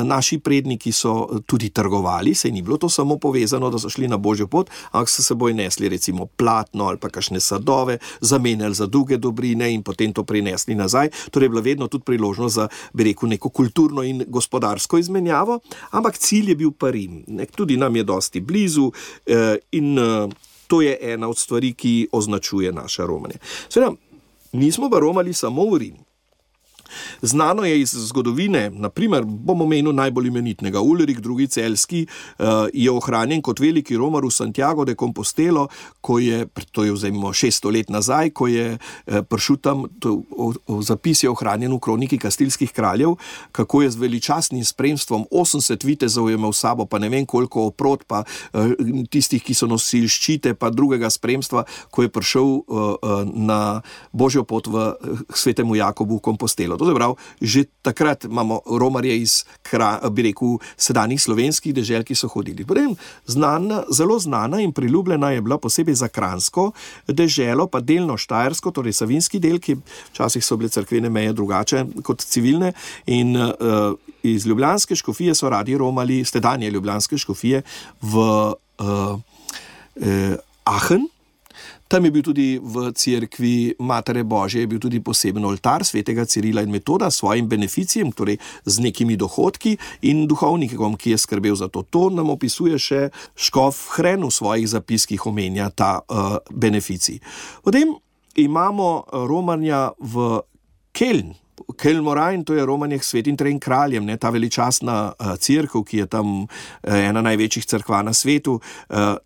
Naši predniki so tudi trgovali, saj ni bilo to samo povezano, da so šli na božjo pot, ampak so seboj nesli recimo platno ali pa kakšne sadove, zamenjali za druge dobrine in potem to prinesli nazaj. Torej je bila vedno tudi priložnost za, bi rekel, neko kulturno in gospodarsko izmenjavo, ampak cilj je bil pa Rim. Tudi nam je dosti blizu in to je ena od stvari, ki označuje naše romanje. Seveda, nismo pa romali samo v Rim. Znano je iz zgodovine, naprimer, bom omenil najbolj imenitnega, Ulrik II. Celjski je ohranjen kot veliki romar v Santiago de Compostelo, to je vzajmo 600 let nazaj, ko je prišel tam, zapis je ohranjen v kroniki Kastilskih kraljev, kako je z veličastnim spremstvom 80 vitezov je imel sabo, pa ne vem koliko oprod, pa tistih, ki so nosili ščite, pa drugega spremstva, ko je prišel na božjo pot v svetemu Jakobu v Compostelo. To se pravi, že takrat imamo romarje iz, bi rekel, sedanjih slovenskih dežel, ki so hodili. Potem zelo znana in priljubljena je bila posebej za kranjsko deželo, pa delno štajersko, torej savinski del, ki včasih so bile cerkvene meje drugače kot civilne, in iz ljubljanske škofije so radi romali, stedanje ljubljanske škofije v Aachen. Tam je bil tudi v cerkvi Matere Božje, je bil tudi poseben oltar svetega Cirila in Metoda s svojim beneficijem, torej z nekimi dohodki in duhovnikom, ki je skrbel za to. To nam opisuje še škof Hren v svojih zapiskih, omenja ta beneficij. Potem imamo romanja v Keln. Kelmorain, to je romanje k Svetim trem kraljem, ne, ta veličastna cerkev, ki je tam ena največjih cerkva na svetu.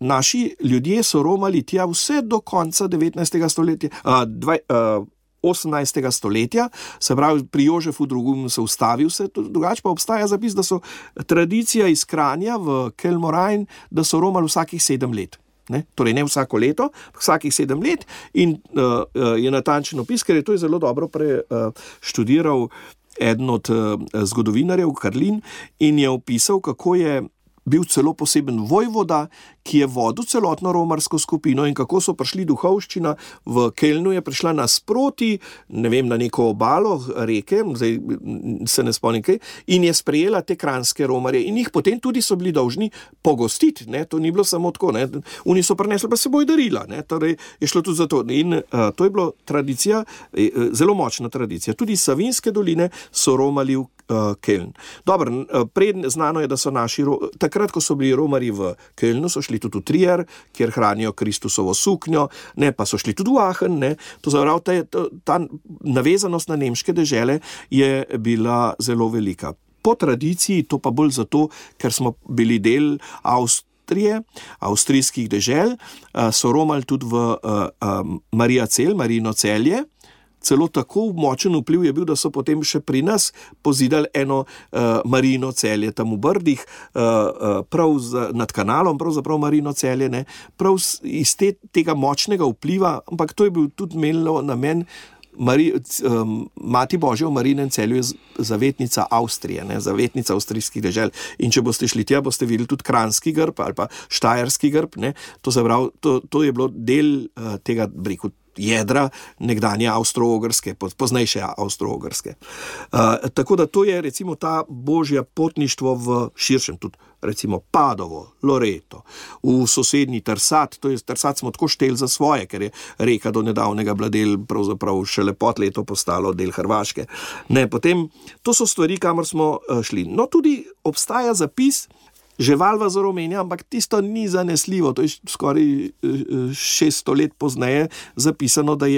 Naši ljudje so romali tja vse do konca 19. stoletja, 18. stoletja, se pravi, pri Jožefu II. Se ustavil vse, drugače pa obstaja zapis, da so tradicija iz Kranja v Kelmorain, da so romali vsakih 7 let. Ne? Torej ne vsako leto, vsakih 7 let in je natančen opis, ker je to zelo dobro študiral eden od zgodovinarjev, Karlin, in je opisal, kako je bil celo poseben vojvoda, ki je vodil celotno romarsko skupino in kako so prišli duhovščina v Kelnu je prišla nasproti, ne vem, na neko obalo reke, zdaj se ne spomnim kaj, in je sprejela te kranjske romarje in jih potem tudi so bili dolžni pogostiti, ne, to ni bilo samo tako, ne, oni so prinesli pa seboj darila, ne, torej je šlo tudi za to in to je bilo tradicija, zelo močna tradicija, tudi iz Savinjske doline so romali v Keln. Dobro, znano je, da so takrat, ko so bili romarji v Kelnu, so šli tudi v Trier, kjer hranijo Kristusovo suknjo, ne, pa so šli tudi v Aachen, ne, to zaprav, ta navezanost na nemške dežele je bila zelo velika. Po tradiciji, to pa bolj zato, ker smo bili del avstrijskih dežel, so romali tudi v Marijino Celje. Celo tako močen vpliv je bil, da so potem še pri nas pozidali eno Marijino Celje tam v Brdih, nad kanalom, pravzaprav Marijino Celje, ne, prav iz tega močnega vpliva, ampak to je bil tudi imelo namen. Mati Božja v Marijinem Celju je zavetnica Avstrije, ne, zavetnica avstrijskih dežel. In če boste šli tja, boste videli tudi kranjski grb ali pa štajerski grb, ne, to je bilo del tega, rekel, jedra nekdanje Avstro-Ogrske, poznejše Avstro-Ogrske. Tako da to je recimo ta božja potništvo v širšem, tudi recimo Padovo, Loreto, v sosednji Trsat, to je Trsat smo tako šteli za svoje, ker je reka do nedavnega bila del, pravzaprav šele pod leto postalo del Hrvaške. Ne, potem, to so stvari, kamor smo šli. No, tudi obstaja zapis, že Valvazor omenja, ampak tisto ni zanesljivo, to je skoraj 600 let pozneje zapisano, da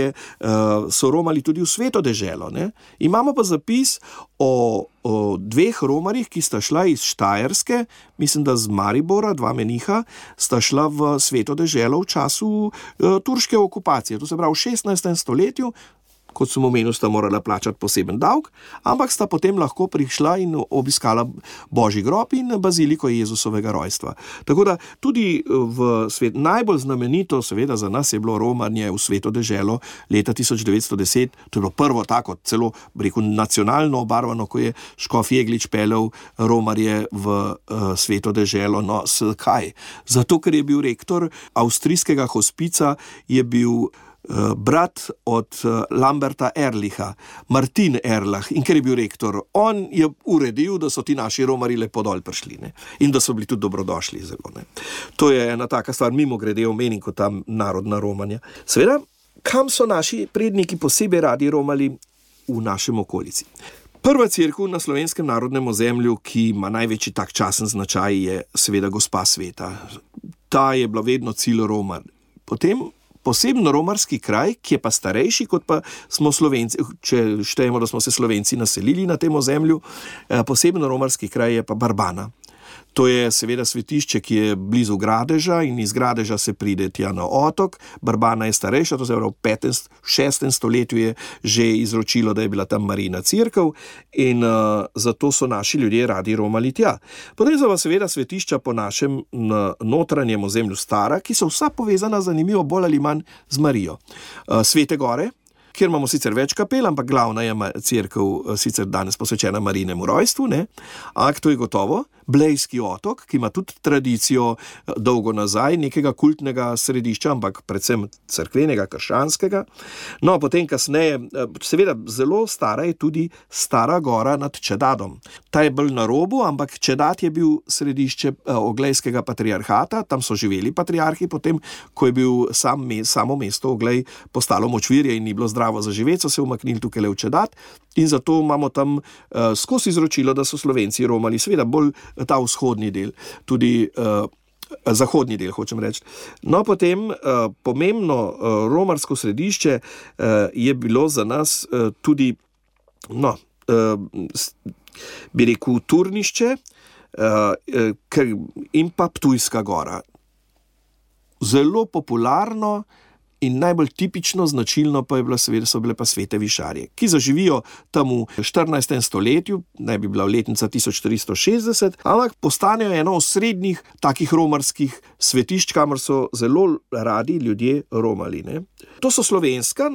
so romali tudi v Sveto deželo. Ne? Imamo pa zapis o dveh romarjih, ki sta šla iz Štajerske, mislim, da z Maribora, dva meniha, sta šla v Sveto deželo v času turške okupacije, to se pravi v 16. stoletju, kot sem omenil, sta morala plačati poseben davek, ampak sta potem lahko prišla in obiskala Božji grob in baziliko Jezusovega rojstva. Tako da tudi najbolj znamenito, seveda za nas je bilo romanje v Sveto deželo leta 1910, to je bilo prvo tako, celo nacionalno obarvano, ko je škof Jeglič peljal romarje v Sveto deželo. No, kaj? Zato, ker je bil rektor avstrijskega hospica, je bil brat od Lamberta Erlicha, Martin Erlach, in ker je bil rektor, on je uredil, da so ti naši romari lepo dol prišli, ne? In da so bili tudi dobrodošli zelo. Ne? To je ena taka stvar, mimo grede omenim kot tam narodna romanja. Seveda, kam so naši predniki posebej radi romali v našem okolici? Prva cerkev na slovenskem narodnem ozemlju, ki ima največji tak časen značaj, je seveda Gospa Sveta. Ta je bila vedno cilj Roma. Potem posebno romarski kraj, ki je pa starejši, kot pa smo Slovenci, če štejemo, da smo se Slovenci naselili na tem ozemlju, posebno romarski kraj je pa Barbana. To je seveda svetišče, ki je blizu Gradeža in iz Gradeža se pride tja na otok. Barbana je starejša, to se pravi v 6. stoletju je že izročilo, da je bila tam Marijina cerkev in zato so naši ljudje radi romali tja. Potem so pa seveda svetišča po našem notranjem ozemlju stara, ki so vsa povezana zanimivo bolj ali manj z Marijo. Svete gore, kjer imamo sicer več kapel, ampak glavna je cerkev sicer danes posvečena Marijinemu rojstvu, ne? Ampak to je gotovo. Blejski otok, ki ima tudi tradicijo dolgo nazaj, nekega kultnega središča, ampak predvsem cerkvenega, krščanskega. No, potem kasneje, seveda zelo stara je tudi Stara gora nad Čedadom. Ta je bolj na robu, ampak Čedad je bil središče oglejskega patriarhata, tam so živeli patriarhi, potem, ko je bil samo mesto Oglej postalo močvirje in ni bilo zdravo za živeti, so se umaknili tukaj le v Čedad in zato imamo tam skozi izročilo, da so Slovenci romali, seveda bolj ta vzhodni del, tudi zahodni del, hočem reči. No, potem pomembno romarsko središče je bilo za nas tudi, bi rekel, Turnišče in pa Ptujska gora. Zelo popularno in najbolj tipično značilno pa so bile pa svete višarje, ki zaživijo tam v 14. stoletju, naj bi bila letnica 1360, ampak postanejo eno osrednjih takih romarskih svetišč, kamor so zelo radi ljudje romali. Ne? To so slovenska,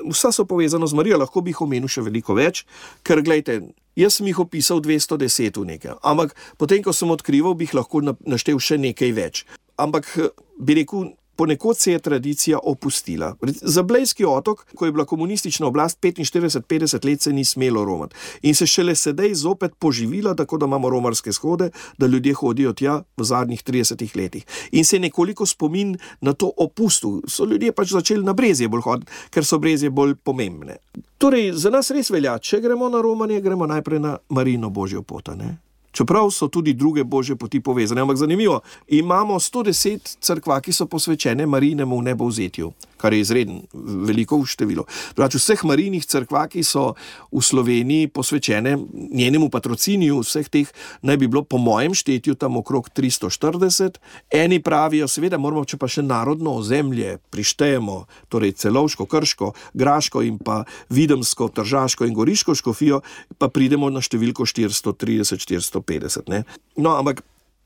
vsa so povezano z Marijo, lahko bi jih omenil še veliko več, ker glejte, jaz sem jih opisal 210 v nekaj, ampak potem, ko sem odkrival, bi jih lahko naštel še nekaj več. ampak bi rekel, ponekod se je tradicija opustila. Za Blejski otok, ko je bila komunistična oblast 45-50 let, se ni smelo romati. In se šele sedaj zopet poživila, tako da imamo romarske shode, da ljudje hodijo tja v zadnjih 30 letih. In se je nekoliko spomin na to opustil. So ljudje pač začeli na Brezje bolj hoditi, ker so Brezje bolj pomembne. Torej, za nas res velja, če gremo na romanje, gremo najprej na Marijino božjo pot, ne? Čeprav so tudi druge božje poti povezane. Ampak zanimivo, imamo 110 cerkva, ki so posvečene Marijinemu nebovzetju, kar je izredno veliko število. Pravi, vseh Marijinih cerkva, ki so v Sloveniji posvečene njenemu patrociniju, vseh teh naj bi bilo po mojem štetju tam okrog 340. Eni pravijo, seveda moramo, če pa še narodno ozemlje prištejemo, torej Celovško, Krško, Graško in pa Videmsko, Tržaško in Goriško škofijo, pa pridemo na številko 430-450. Ne? No, ampak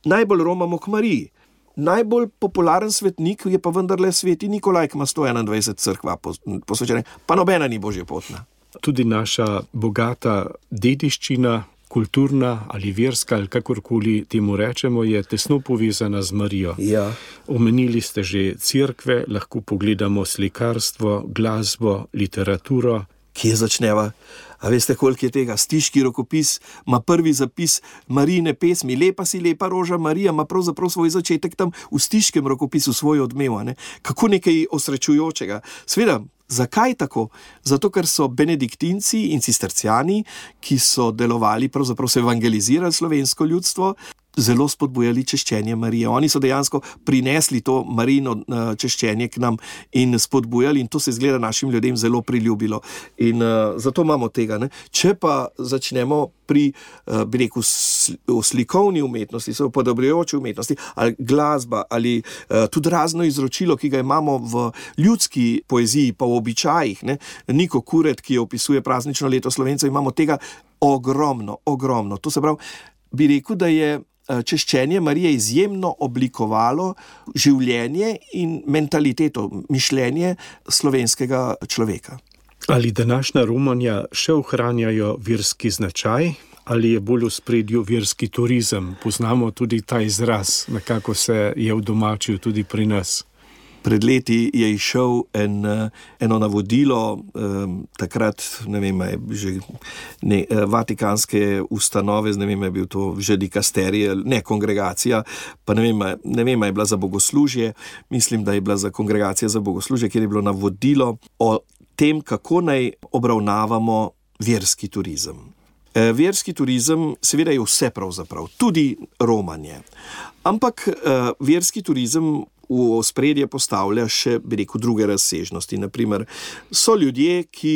najbolj romamo k Mariji. Najbolj popularen svetnik je pa vendarle sveti Nikolaj, ki ima 121 cerkva posvečene, pa nobena ni božje potna. Tudi naša bogata dediščina, kulturna ali verska, ali kakorkoli temu rečemo, je tesno povezana z Marijo. Ja. Omenili ste že cerkve, lahko pogledamo slikarstvo, glasbo, literaturo. Kje začneva? A veste, koliko je tega? Stiški rokopis ima prvi zapis Marijine pesmi. Lepa si, lepa roža Marija ima pravzaprav svoj začetek tam v stiškem rokopisu, svoj odmev. Ne? Kako nekaj osrečujočega. Sveda, zakaj tako? Zato, ker so benediktinci in cisterciani, ki so delovali, pravzaprav so evangelizirali slovensko ljudstvo, zelo spodbujali češčenje Marije. Oni so dejansko prinesli to Marijino češčenje k nam in spodbujali, in to se izgleda našim ljudem zelo priljubilo. In zato imamo tega. Ne? Če pa začnemo pri, bi rekel, slikovni umetnosti, so podobrejoče umetnosti, ali glasba, ali tudi razno izročilo, ki ga imamo v ljudski poeziji, pa v običajih. Ne? Niko Kuret, ki opisuje praznično leto Slovencev, imamo tega ogromno. To se pravi, bi rekel, da je češčenje Marije izjemno oblikovalo življenje in mentaliteto, mišljenje slovenskega človeka. Ali današnja romanja še ohranjajo verski značaj, ali je bolj v spredju verski turizem? Poznamo tudi ta izraz, nekako se je udomačil tudi pri nas. Pred leti je izšel eno navodilo, takrat, ne vem, vatikanske ustanove, ne vem, je bil to že dikasterij, ne kongregacija, pa ne vem, je bila za bogoslužje, mislim, da je bila za kongregacija za bogoslužje, kjer je bilo navodilo o tem, kako naj obravnavamo verski turizem. Verski turizem seveda je vse pravzaprav, tudi romanje. Ampak verski turizem v ospredje postavlja še, bi rekel, druge razsežnosti. Naprimer, so ljudje, ki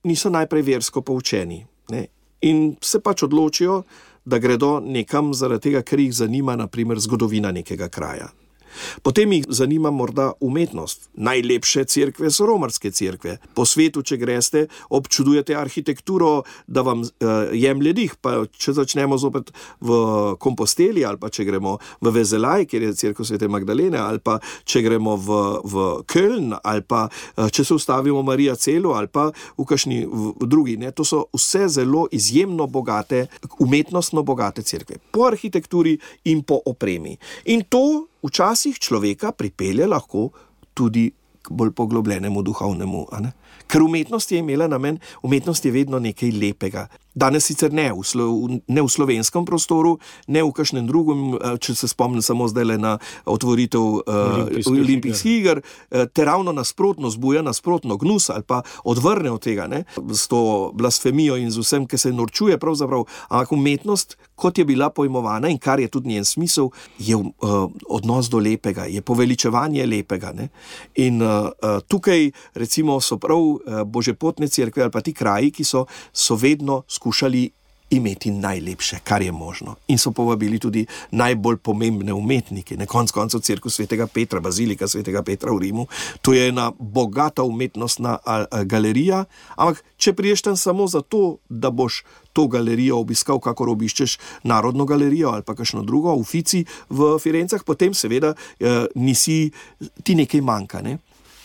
niso najprej versko poučeni, ne? In se pač odločijo, da gredo nekam zaradi tega, ker jih zanima, naprimer, zgodovina nekega kraja. Potem jih zanima morda umetnost. Najlepše cerkve so romarske cerkve. Po svetu, če greste, občudujete arhitekturo, da vam jemlje dih. Pa če začnemo zopet v Komposteli, ali pa če gremo v Vezelaj, kjer je cerkev Svete Magdalene, ali pa če gremo v Köln, ali pa če se ustavimo v Marija Celu, ali pa v kakšni drugi. Ne? To so vse zelo izjemno bogate, umetnostno bogate cerkve. Po arhitekturi in po opremi. In to včasih človeka pripelje lahko tudi k bolj poglobljenemu duhovnemu. Ker umetnost je imela namen, umetnost je vedno nekaj lepega. Danes sicer ne v slovenskem prostoru, ne v kakšnem drugem, če se spomnim samo zdaj na otvoritev olimpijskih iger, te ravno nasprotno zbuja, nasprotno gnus ali pa odvrne od tega, ne? S to blasfemijo in z vsem, ki se norčuje pravzaprav. Ampak umetnost, kot je bila pojmovana in kar je tudi njen smisel, je odnos do lepega, je poveličevanje lepega. Ne? In tukaj recimo so prav božepotne cerkve ali pa ti kraji, ki so vedno skušali imeti najlepše, kar je možno. In so povabili tudi najbolj pomembne umetnike. Na koncu koncev cerkev Svetega Petra, bazilika Svetega Petra v Rimu. To je ena bogata umetnostna galerija, ampak če priješ tam samo zato, da boš to galerijo obiskal, kakor obiščeš Narodno galerijo ali pa kakšno drugo, v Uffizi v Firencah, potem seveda ti nekaj manjka. Ne?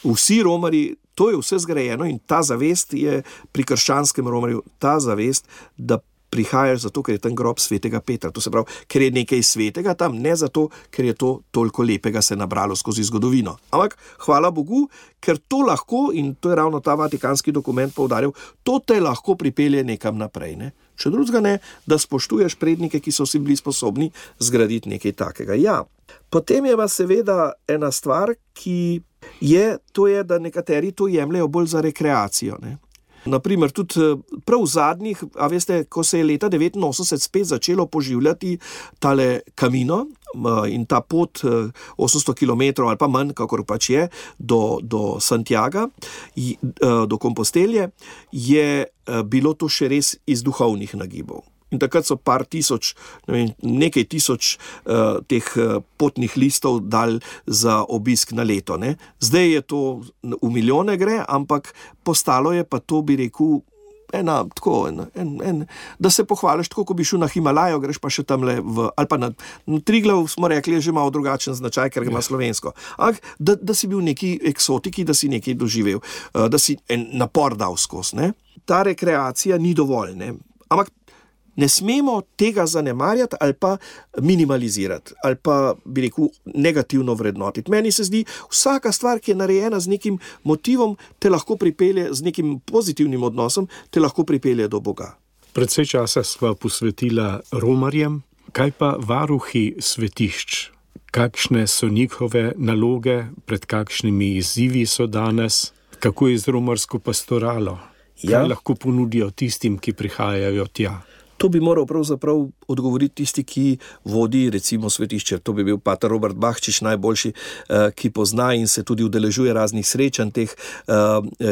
Vsi romarji, to je vse zgrajeno in ta zavest je pri krščanskem romarju, ta zavest, da prihajaš zato, ker je tam grob svetega Petra. To se pravi, ker je nekaj svetega tam, ne zato, ker je to toliko lepega se nabralo skozi zgodovino. Ampak, hvala Bogu, ker to lahko, in to je ravno ta vatikanski dokument poudaril, to te lahko pripelje nekam naprej, ne? Če drugega ne, da spoštuješ prednike, ki so si bili sposobni zgraditi nekaj takega. Ja, potem je pa seveda ena stvar, ki to je, da nekateri to jemljajo bolj za rekreacijo, ne? Naprimer, tudi prav v zadnjih, a veste, ko se je leta 1989 spet začelo poživljati tale Camino in ta pot 800 km ali pa manj, kakor pač je, do Santiaga, do Kompostelje, je bilo to še res iz duhovnih nagibov. In takrat so nekaj tisoč teh potnih listov dali za obisk na leto, ne. Zdaj je to v milijone gre, ampak postalo je pa to, bi rekel, da se pohvališ tako, ko bi šel na Himalajo, greš pa še tamle ali pa na Triglav, smo rekli, je že malo drugačen značaj, ker ima slovensko. Ampak, da si bil neki eksotiki, da si nekaj doživel, da si en napor dal skozi, ne. Ta rekreacija ni dovolj, ne. Ampak ne smemo tega zanemarjati ali pa minimalizirati, ali pa, bi rekel, negativno vrednotiti. Meni se zdi, vsaka stvar, ki je narejena z nekim motivom, te lahko pripelje, z nekim pozitivnim odnosom, te lahko pripelje do Boga. Precej časa sva posvetila romarjem, kaj pa varuhi svetišč? Kakšne so njihove naloge, pred kakšnimi izzivi so danes? Kako je z romarsko pastoralo? Kaj lahko ponudijo tistim, ki prihajajo tja? To bi moral pravzaprav odgovoriti tisti, ki vodi recimo svetišče. To bi bil pater Robert Bahčič najboljši, ki pozna in se tudi udeležuje raznih srečanj teh,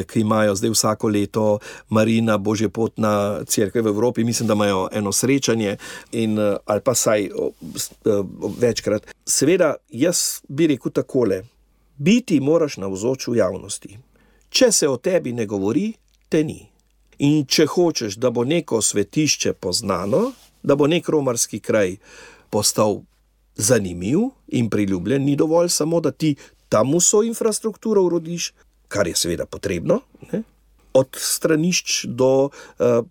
ki imajo zdaj vsako leto Marina, Božje potna cerkev v Evropi. Mislim, da imajo eno srečanje ali pa saj večkrat. Seveda, jaz bi rekel takole, biti moraš navzoč v javnosti. Če se o tebi ne govori, te ni. In če hočeš, da bo neko svetišče poznano, da bo nek romarski kraj postal zanimiv in priljubljen, ni dovolj samo, da ti tam vso infrastrukturo urodiš, kar je seveda potrebno, ne? Od stranišč do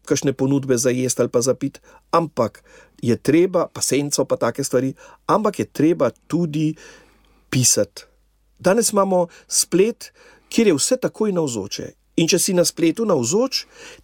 kakšne ponudbe za jest ali pa za pit, ampak je treba, pa senco pa take stvari, ampak je treba tudi pisati. Danes imamo splet, kjer je vse takoj navzoče. In če si na spletu navzoč,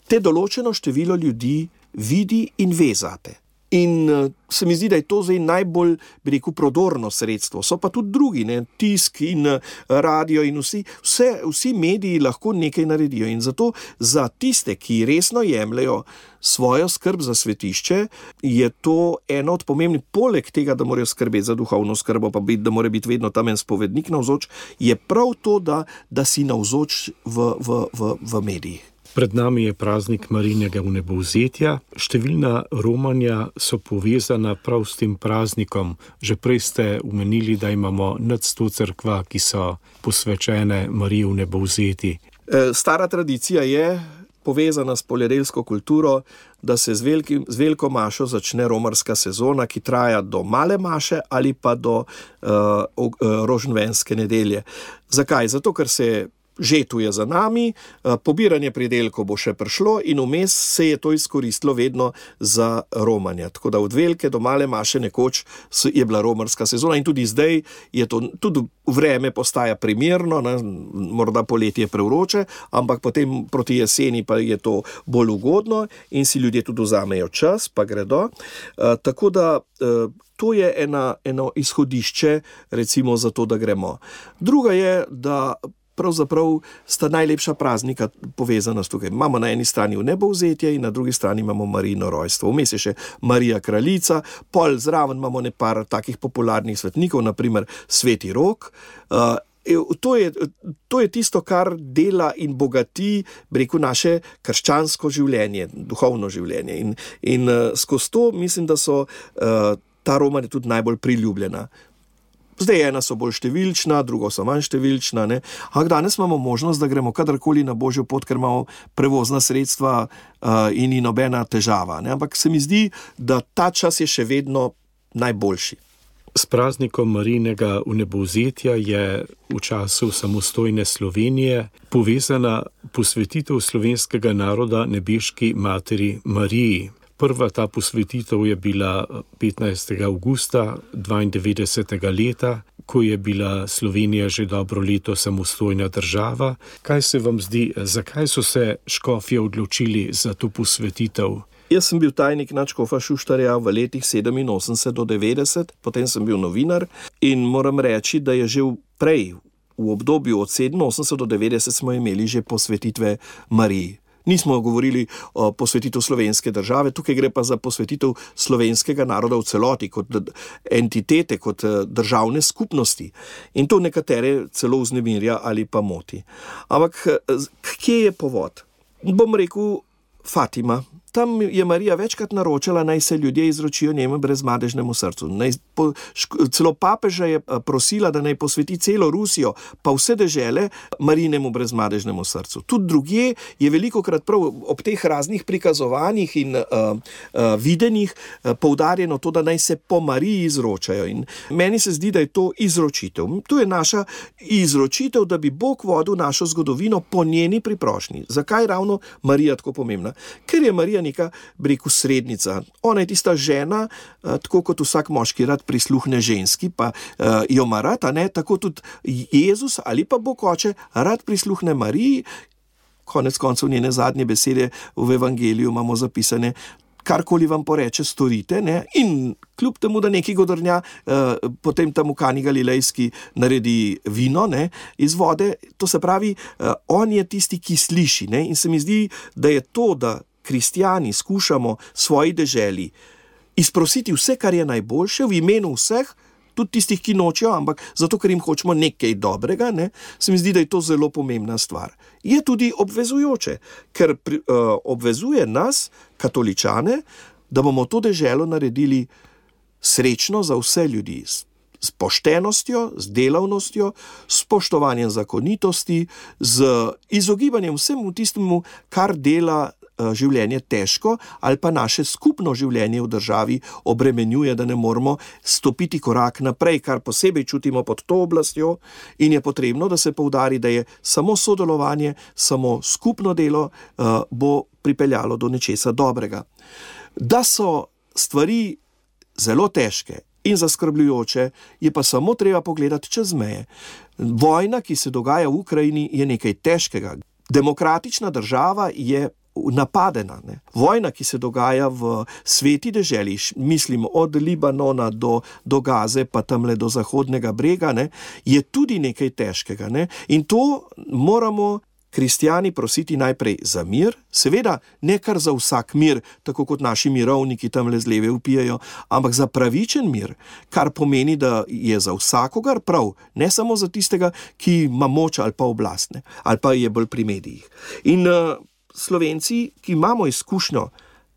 te določeno število ljudi vidi in ve zate. In se mi zdi, da je to zdaj najbolj, bi rekel, prodorno sredstvo. So pa tudi drugi, ne? Tisk in radio in vsi mediji lahko nekaj naredijo. In zato za tiste, ki resno jemljajo svojo skrb za svetišče, je to eno od pomembnih, poleg tega, da morajo skrbeti za duhovno skrbo, pa da mora biti vedno tam en spovednik navzoč, je prav to, da si navzoč v medijih. Pred nami je praznik Marijinega vnebovzetja. Številna romanja so povezana prav s tem praznikom. Že prej ste omenili, da imamo nad 100 cerkva, ki so posvečene Mariji vnebovzeti. Stara tradicija je povezana s poljedelsko kulturo, da se z veliko mašo začne romarska sezona, ki traja do male maše ali pa do rožnvenske nedelje. Zakaj? Zato, ker se žetuje za nami, pobiranje pridelkov bo še prišlo in vmes se je to izkoristilo vedno za romanje. Tako da od velike do male maše nekoč je bila romarska sezona in tudi zdaj je to, tudi vreme postaja primerno, ne? Morda poletje je prevroče, ampak potem proti jeseni pa je to bolj ugodno in si ljudje tudi vzamejo čas, pa gredo. Tako da to je eno izhodišče, recimo za to, da gremo. Druga je, da pravzaprav sta najlepša praznika povezana s tukaj. Imamo na eni strani vnebovzetje in na drugi strani imamo Marijino rojstvo. Vmes je še Marija kraljica, pol zraven imamo nepar takih popularnih svetnikov, naprimer Sveti Rok. To je tisto, kar dela in bogati, bi rekel, naše krščansko življenje, duhovno življenje. In skozi to mislim, da so ta romanja tudi najbolj priljubljena. Zdaj ena so bolj številčna, drugo so manj številčna, ne. Ampak danes imamo možnost, da gremo kadarkoli na Božjo pot, ker imamo prevozna sredstva in ni nobena težava, ne. Ampak se mi zdi, da ta čas je še vedno najboljši. S praznikom Marijinega vnebovzetja je v času samostojne Slovenije povezana posvetitev slovenskega naroda nebeški materi Mariji. Prva ta posvetitev je bila 15. avgusta 92. leta, ko je bila Slovenija že dobro leto samostojna država. Kaj se vam zdi, zakaj so se škofje odločili za to posvetitev? Jaz sem bil tajnik nadškofa Šuštarja v letih 87 do 90, potem sem bil novinar in moram reči, da je že prej, v obdobju od 87 do 90 smo imeli že posvetitve Mariji. Nismo govorili o posvetitev slovenske države, tukaj gre pa za posvetitev slovenskega naroda v celoti, kot entitete, kot državne skupnosti. In to nekatere celo vznemirja ali pa moti. Ampak kje je povod? Bom rekel Fatima. Tam je Marija večkrat naročala, naj se ljudje izročijo njemu brezmadežnemu srcu. Celo papeža je prosila, da naj posveti celo Rusijo, pa vse dežele Marijinemu brezmadežnemu srcu. Tudi drugje je velikokrat prav ob teh raznih prikazovanjih in videnjih poudarjeno to, da naj se po Mariji izročajo. In meni se zdi, da je to izročitev. To je naša izročitev, da bi Bog vodil našo zgodovino po njeni priprošnji. Zakaj ravno Marija tako pomembna? Ker je Marija neka, bi rekel, srednica. Ona je tista žena, tako kot vsak moški rad prisluhne ženski, pa jo ima rad, tako tudi Jezus ali pa Bog Oče rad prisluhne Mariji. Konec koncev njene zadnje besede v evangeliju imamo zapisane: karkoli vam poreče, storite, in kljub temu, da neki godrnja potem tam v Kani Galilejski naredi vino, iz vode, to se pravi, on je tisti, ki sliši, in se mi zdi, da je to, da kristjani skušamo svoji deželi izprositi vse, kar je najboljše v imenu vseh, tudi tistih, ki nočejo, ampak zato, ker jim hočemo nekaj dobrega, se mi zdi, da je to zelo pomembna stvar. Je tudi obvezujoče, ker obvezuje nas, katoličane, da bomo to deželo naredili srečno za vse ljudi, s poštenostjo, z delavnostjo, s spoštovanjem zakonitosti, z izogibanjem vsemu tistemu, kar dela življenje težko ali pa naše skupno življenje v državi obremenjuje, da ne moramo stopiti korak naprej, kar posebej čutimo pod to oblastjo, in je potrebno, da se poudari, da je samo sodelovanje, samo skupno delo bo pripeljalo do nečesa dobrega. Da so stvari zelo težke in zaskrbljujoče, je pa samo treba pogledati čez meje. Vojna, ki se dogaja v Ukrajini, je nekaj težkega. Demokratična država je napadena. Vojna, ki se dogaja v sveti deželi, mislim od Libanona do Gaze, pa tamle do Zahodnega brega, je tudi nekaj težkega. In to moramo kristjani prositi najprej za mir, seveda ne kar za vsak mir, tako kot naši mirovniki tamle z leve vpijajo, ampak za pravičen mir, kar pomeni, da je za vsakogar prav, ne samo za tistega, ki ima moč ali pa oblast, ali pa je bolj pri medijih. In Slovenci, ki imamo izkušnjo,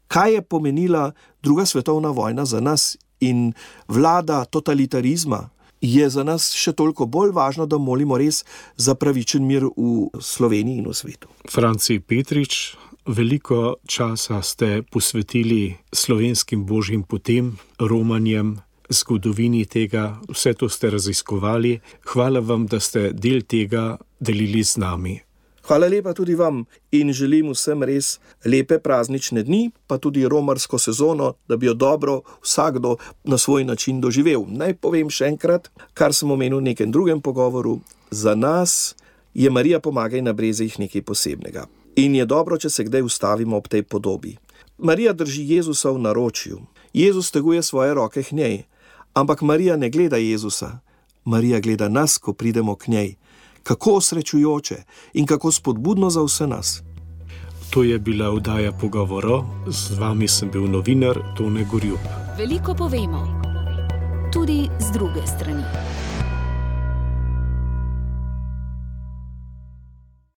kaj je pomenila druga svetovna vojna za nas in vlada totalitarizma, je za nas še toliko bolj važno, da molimo res za pravičen mir v Sloveniji in v svetu. Franci Petrič, veliko časa ste posvetili slovenskim božjim potem, romanjem, zgodovini tega, vse to ste raziskovali. Hvala vam, da ste del tega delili z nami. Hvala lepa tudi vam in želim vsem res lepe praznične dni, pa tudi romarsko sezono, da bi jo dobro vsakdo na svoj način doživel. Naj povem še enkrat, kar sem omenil v nekem drugem pogovoru. Za nas je Marija Pomagaj na brezih nekaj posebnega. In je dobro, če se kdaj ustavimo ob tej podobi. Marija drži Jezusa v naročju. Jezus teguje svoje roke k njej. Ampak Marija ne gleda Jezusa. Marija gleda nas, ko pridemo k njej. Kako osrečujoče in kako spodbudno za vse nas. To je bila oddaja Pogovorov. Z vami sem bil novinar Tone Gorjup. Veliko povemo, tudi z druge strani.